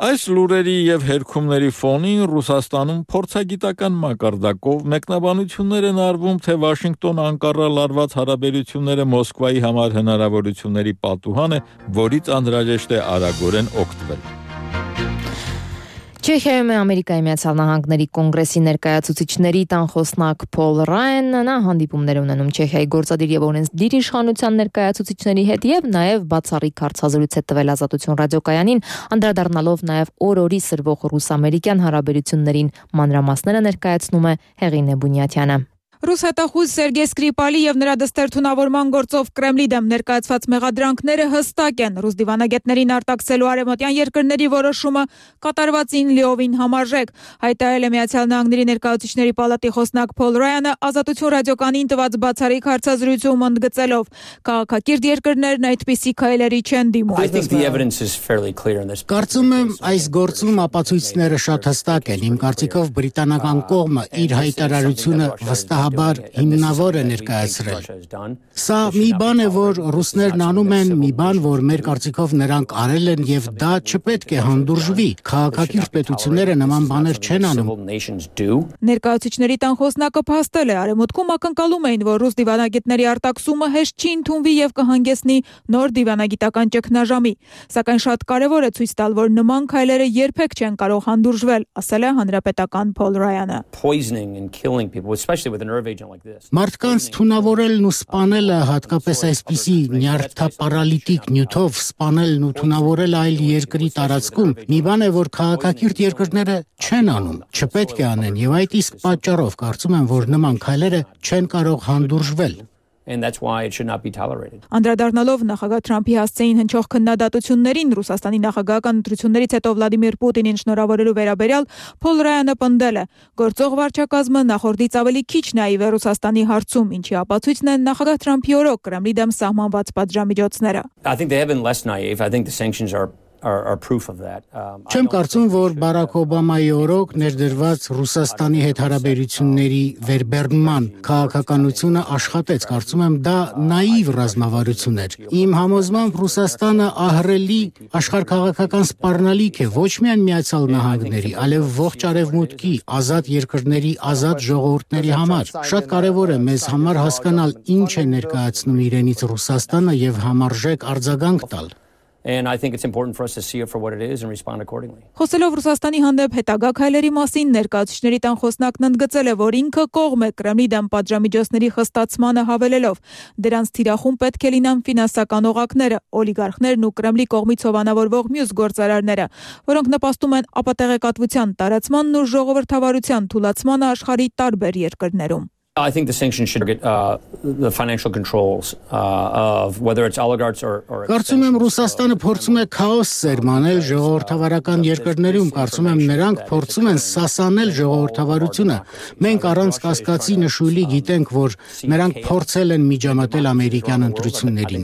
Այս լուրերի եւ հերքումների ֆոնին Ռուսաստանում փորձագիտական մակարդակով մեկնաբանություններ են արվում, թե Վաշինգտոն-Անկարա լարված հարաբերությունները Մոսկվայի համար հնարավորությունների պատուհան է, որից անհրաժեշտ է արագորեն օգտվել։ Չեխիայում է Ամերիկայի Միացյալ Նահանգների կոնգրեսի ներկայացուցիչների տանխոսնակ Փոլ Ռայանն, նա հանդիպումներ ունենում Չեխիայի գործադիր եւ օրենսդիր իշխանության ներկայացուցիչների հետ եւ նաեւ բացառիկ հարցազրույց է տվել Ազատություն ռադիոկայանին, անդրադառնալով նաեւ օր-օրի սրվող ռուս-ամերիկյան հարաբերություններին։ Մանրամասները ներկայացնում է Հեղինե Բունյաթյանը։ Ռուս հետախուզ Սերգեյ Սկրիպալի եւ նրա դստերթունավորման գործով Կրեմլի դեմ ներկայացված մեղադրանքները հստակ են։ Ռուս դիվանագետներին արտաքսելու արևմտյան երկրների որոշումը կատարվածին լիովին համարժեք, հայտարարել է Միացյալ Նահանգների ներկայացուցիչների պալատի խոսնակ Փոլ Ռայանը Ազատություն ռադիոկայանին տված բացառիկ հարցազրույցում ընդգծելով. քաղաքակիրթ երկրներն այդպիսի քայլերի չեն դիմում։ Կարծում եմ, այս գործում ապացույցները շատ հստակ են։ Իմ կարծիքով բրիտանական կողմը իր հայտարարությունը վստահ բնականաբար հիմնավոր է ներկայացրել։ Սա մի բան է, որ ռուսներն անում են, մի բան, որ մեր կարծիքով նրանք արել են եւ դա չպետք է հանդուրժվի։ Քաղաքակիրթ պետությունները նման բաներ չեն անում։ Ներկայացուցիչների տան խոսնակը փաստել է, արևմուտքում ակնկալում էին, որ ռուս դիվանագետների արտաքսումը հեշտ չի ընդունվի եւ կհանգեցնի նոր դիվանագիտական ճգնաժամի, սակայն շատ կարեւոր է ցույց տալ, որ նման քայլերը երբեք չեն կարող հանդուրժվել, ասել է հանրապետական Փոլ Ռայանը։ Մարդկանց թունավորելն ու սպանելը, հատկապես այսպիսի նյարդապարալիտիկ նյութով սպանելն ու թունավորելը այլ երկրի տարածքում, մի բան է, որ քաղաքակիրթ երկրները չեն անում, չպետք է անեն, եւ այդ իսկ պատճառով կարծում եմ, որ նման քայլերը չեն կարող հանդուրժվել։ And that's why it should not be tolerated. Անդրադառնալով նախագահ Թրամփի հասցեին հնչող քննադատություններին Ռուսաստանի նախագահական ընտրություններից հետո Վլադիմիր Պուտինին շնորհավորելու վերաբերյալ Փոլ Ռայանը պնդել է. գործող վարչակազմը նախորդից ավելի քիչ նաիվ է Ռուսաստանի հարցում, ինչի ապացույցն են նախագահ Թրամփի օրոք Կրեմլի դեմ սահմանված պատժամիջոցները։ I think they have been less naive. I think the sanctions are Are, are proof of that. Um, Չեմ կարծում, որ Բարակ Օբամայի օրոք ներդրված Ռուսաստանի հետ հարաբերությունների վերբեռնման քաղաքականությունը աշխատեց, կարծում եմ դա նաիվ ռազմավարություն էր։ Իմ համոզմամբ Ռուսաստանը ահռելի աշխարհքաղաքական սպառնալիք է ոչ միայն Միացյալ Նահանգների, այլև ողջ արևմուտքի ազատ երկրների ազատ ժողովուրդների համար։ Շատ կարևոր է մեզ համար հասկանալ ինչ է ներկայացնում իրենից Ռուսաստանը եւ համարժեք արձագանք տալ։ And I think it's important for us to see it for what it is and respond accordingly. Խոսելով Ռուսաստանի հանդեպ հետագա քայլերի մասին, ներկայացուցիչների տան խոսնակն ընդգծել է, որ ինքը կողմ է Կրեմլի դեմ պատժամիջոցների խստացմանը հավելելով, դրանց թիրախում պետք է լինան ֆինանսական օղակները, օլիգարխներն ու Կրեմլի կողմից հովանավորվող մյուս գործարարները, որոնք նպաստում են ապատեղեկատվության տարածմանն ու ժողովրդավարության թուլացմանը աշխարհի տարբեր երկրներում։ I think the sanctions should get uh, the financial controls uh, of whether it's oligarchs or or Կարծում եմ Ռուսաստանը փորձում է քաոս սերմանել ժողովրդավարական երկրներում, կարծում եմ նրանք փորձում են սասանել ժողովրդավարությունը։ Մենք առանց կասկածի նշույլի գիտենք, որ նրանք փորձել են միջամտել ամերիկյան ընտրություններին։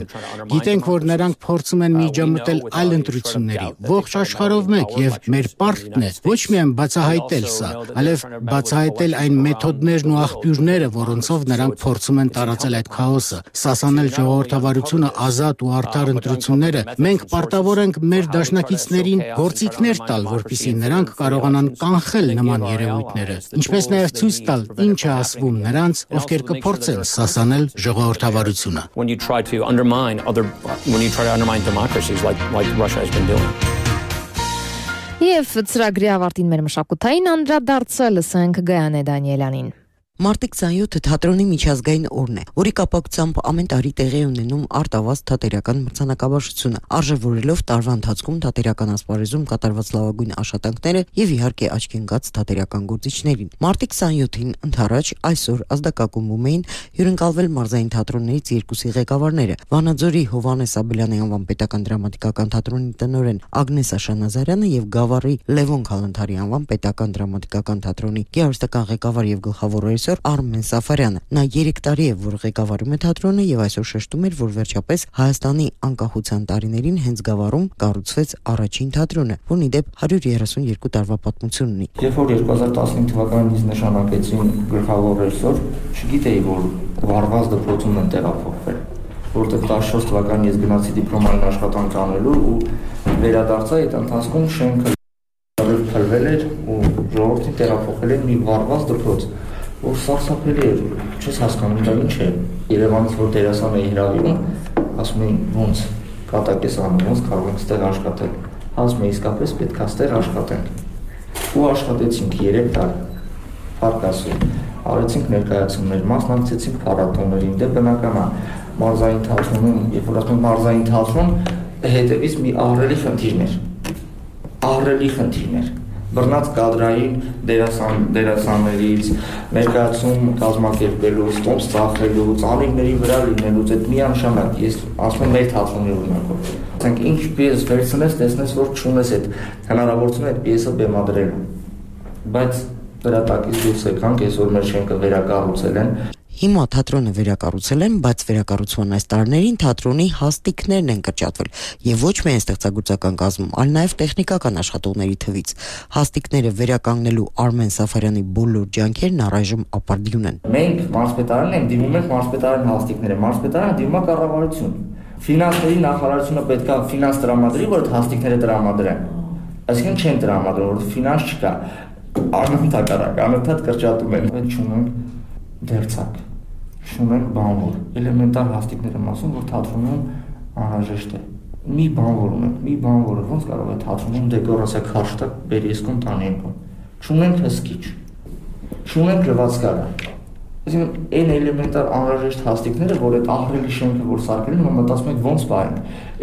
Գիտենք, որ նրանք փորձում են միջամտել այլ ընտրությունների։ Ողջ աշխարհով մեկ եւ մեր պարտքն է ոչ միայն բացահայտել սա, այլև բացահայտել այն մեթոդներն ու աղբյուրները, որոնցով նրանք փորձում են տարածել այդ քաոսը, սասանել ժողովրդավարությունը, ազատ ու արդար ընտրությունները։ Մենք պարտավոր ենք մեր դաշնակիցներին գործիքներ տալ, որպեսզի նրանք կարողանան կանխել նման երևույթները, ինչպես նաև ցույց տալ ինչ է ասվում նրանց, ովքեր կփորձեն սասանել ժողովրդավարությունը։ When you try to undermine other when you try to undermine democracies like like Russia has been doing. Եվ ծրագրի ավարտին մեր մշակութային անդրադարձը լսենք Գայանե Դանիելյանին։ Մարտի քսանյոթը թատրոնի միջազգային օրն է, որի կապակցությամբ ամեն տարի տեղի ունենում արտավազ թատերական մրցանակաբաշխությունը, արժևորելով տարվա ընթացքում թատերական ասպարեզում կատարված լավագույն աշխատանքները եւ իհարկե աչքի ընկած թատերական գործիչներին։ Մարտի քսանյոթին ընդառաջ այսօր ազդակակումում էին հյուրընկալվել մարզային թատրոններից երկուսի ղեկավարները՝ Վանաձորի Հովհաննես Աբելյանի անվան պետական դրամատիկական թատրոնի տնօրեն Ագնես Աշանազարյանը եւ Գավառի Լևոն Քալանթարի անվան պետական դրամատիկական թատրոնի գեղարվեստական ղեկավար եւ գլխավոր Արմեն Սաֆարյանը։ Նա երեք տարի է, որ ղեկավարում է թատրոնը եւ այսօր շեշտում էր, որ վերջապես Հայաստանի անկախության տարիներին հենց Գավառում կառուցվեց առաջին թատրոնը, որն ի դեպ հարյուր երեսունյոթ տարվա պատմություն ունի։ Երբ որ երկու հազար տասնհինգ թվականին ինձ նշանակեցին գլխավոր ռեժիսոր, չգիտեի, որ վարված դպրոցում են տեղափոխվել, որտեղ տասնչորս թվականին ես գնացի դիպլոմային աշխատանք անելու ու վերադարձա այդ ընթացքում շենքը փլվել էր ու ժողովրդին տեղափոխել են մի վարված դպրոց, որ սարսափելի էր, չես հասկանում դա ինչ է։ Երևանից որ դերասան էի հրավիրում, ասում էին ոնց կատակ ես անում, ոնց կարող ենք ստեղ աշխատել։ Ասում էի իսկապես պետք է ստեղ աշխատենք։ Ու աշխատեցինք երեք տարի։ Փառք Աստծո, արեցինք ներկայացումներ, մասնակցեցինք փառատոներին, դե բնական է մարզային թատրոնում, երբ որ ասում մարզային թատրոն, հետևից մի ահռելի խնդիրներ։ Ահռելի խնդիրներ։ Բռնած կադրային դերասան դերասաններից ներկայացում կազմակերպելուց, տոմս ծախելու, ծանիների վրա լինելուց այդ միանշանակ ես ասում եմ մեր թատրոնի օրինակով։ Ասենք ինչ պիես վերցնես, տեսնես որ չունես այդ հնարավորությունը այդ պիեսը բեմադրելու։ Բայց դրա տակից դուրս եկանք, այսօր մեր շենքը վերակառուցել են։ Հիմա թատրոնը վերակառուցել են, բայց վերակառուցման այս տարիներին թատրոնի հաստիկներն են կրճատվել եւ ոչ միայն ստեղծագործական կազմում, այլ նաեւ տեխնիկական աշխատողների թվից։ Հաստիկները վերականգնելու Արմեն Սաֆարյանի բոլոր ջանքերն առայժմ ապարդյուն են։ Մենք մարզպետարանն ենք դիմում ենք մարզպետարանի հաստիկները, մարզպետարանը դիմում է կառավարություն։ Ֆինանսների նախարարությունը պետք է ֆինանս տրամադրի, որ հաստիկները տրամադրեն։ Այսինքն չեն տրամադրում, որ ֆինանս չկա։ Անընդհատ անընդհատ կրճատում են։ Մենք չունենք դերձակ, չունենք բանվոր, էլեմենտար հաստիկները մասում, որ թատրոնում անհրաժեշտ է։ Մի բանվոր ունենք, մի բանվորը ոնց կարող է թատրոնում դեկորացիա քաշտակ բերի իսկում տանի եկում։ Չունենք հսկիչ, չունենք լվացքարը։ Այսինքն այն էլեմենտար անհրաժեշտ հաստիկները, որ այդ ահռելի շենքը որ սարքել են, հիմա մտածում ենք ոնց պահենք։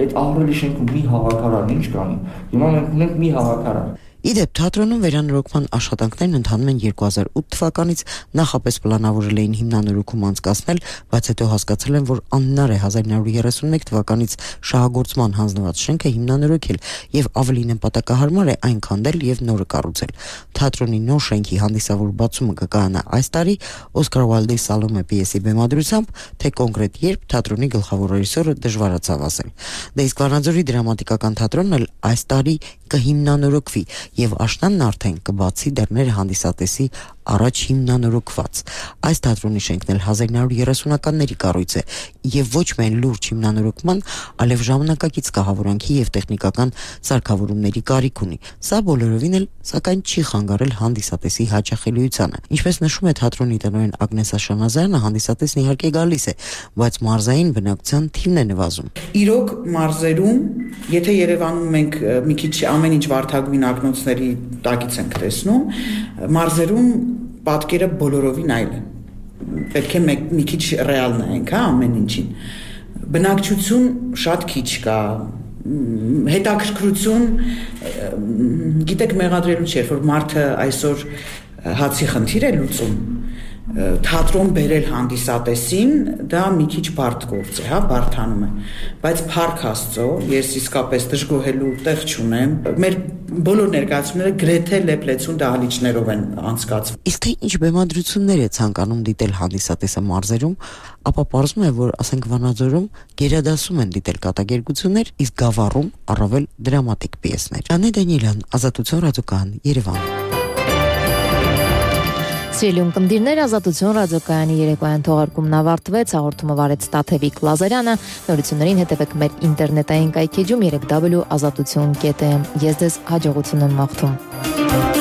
Այդ ահռելի շենքում մի հավաքարար ինչ կանի։ Հիմա մենք ունենք մի հավաքարար։ Իդեպ թատրոնում վերանորոգման աշխատանքներն ընթանում են երկու հազար ութ թվականից, նախապես պլանավորել էին հիմնանորոգում անցկացնել, բայց հետո հասկացել են, որ անհնար է հազար նոր երեսունմեկ թվականից շահագործման հանձնված շենքը հիմնանորոգել եւ ավելի նպատակահարմար է այն քանդել եւ նորը կառուցել։ Թատրոնի նոր շենքի հանդիսավոր բացումը կկայանա այս տարի Օսկար Ուայլդի Սալոմե պիեսի բեմադրությամբ, թե կոնկրետ երբ թատրոնի գլխավոր ռեժիսորը դժվարացավ ասել։ Դե իսկ Վանաձորի դրամատիկական թատրոնն էլ այս տարի կհիմնանորոգվի եւ աշնանն արդեն կբացի դռները հանդիսատեսի առաջ հիմնանորոգված։ Այս թատրոնի շենքն էլ հազար նոր երեսունականների կառույց է եւ ոչ միայն լուրջ հիմնանորոգման, այլև ժամանակակից կահավորանքի եւ տեխնիկական սարքավորումների կարիք ունի։ Սա բոլորովին էլ սակայն չի խանգարել հանդիսատեսի հաճախելիությանը։ Ինչպես նշում է թատրոնի տնօրեն Ագնես Աշանազարյանը, հանդիսատեսն իհարկե գալիս է, բայց մարզային բնակության թիվն է նվազում։ Իրոք մարզերում, եթե Երևանում մենք մի քիչ ամեն ինչ վարդագույն ակնոցների տակից ենք տեսնում, մարզերում պատկերը բոլորովին այլ է։ Պետք է մեկ մի քիչ ռեալ նայենք, հա, ամեն ինչին։ Բնակչություն շատ քիչ կա, հետաքրքրություն, գիտեք, մեղադրելու չէ, որ մարդը այսօր հացի խնդիր է լուծում, թատրոն բերել հանդիսատեսին, դա մի քիչ բարդ գործ է, հա, բարդանում է, բայց փառք Աստծո, ես իսկապես դժգոհելու տեղ չունեմ, մեր բոլոր ներկայացումները գրեթե լեփլեցուն դահլիճներով են անցկացվում։ Իսկ թե ինչ բեմադրություններ է ցանկանում դիտել հանդիսատեսը մարզերում, ապա պարզվում է, որ ասենք Վանաձորում գերադասում են դիտել կատակերգություններ, իսկ Գավառում առավել դրամատիկ պիեսներ։ Անե Դանիելյան, Ազատություն ռադիոկայան, Երևան։ Սիրելի ունկնդիրներ, Ազատություն ռադիոկայանի երեկոյան թողարկումն ավարտվեց, հաղորդումը վարեց Տաթևիկ Լազարյանը, նորություններին հետևեք մեր ինտերնետային կայքեջում երեք w ազատություն կետ am։ Ես ձեզ հաջողություն եմ մաղթում։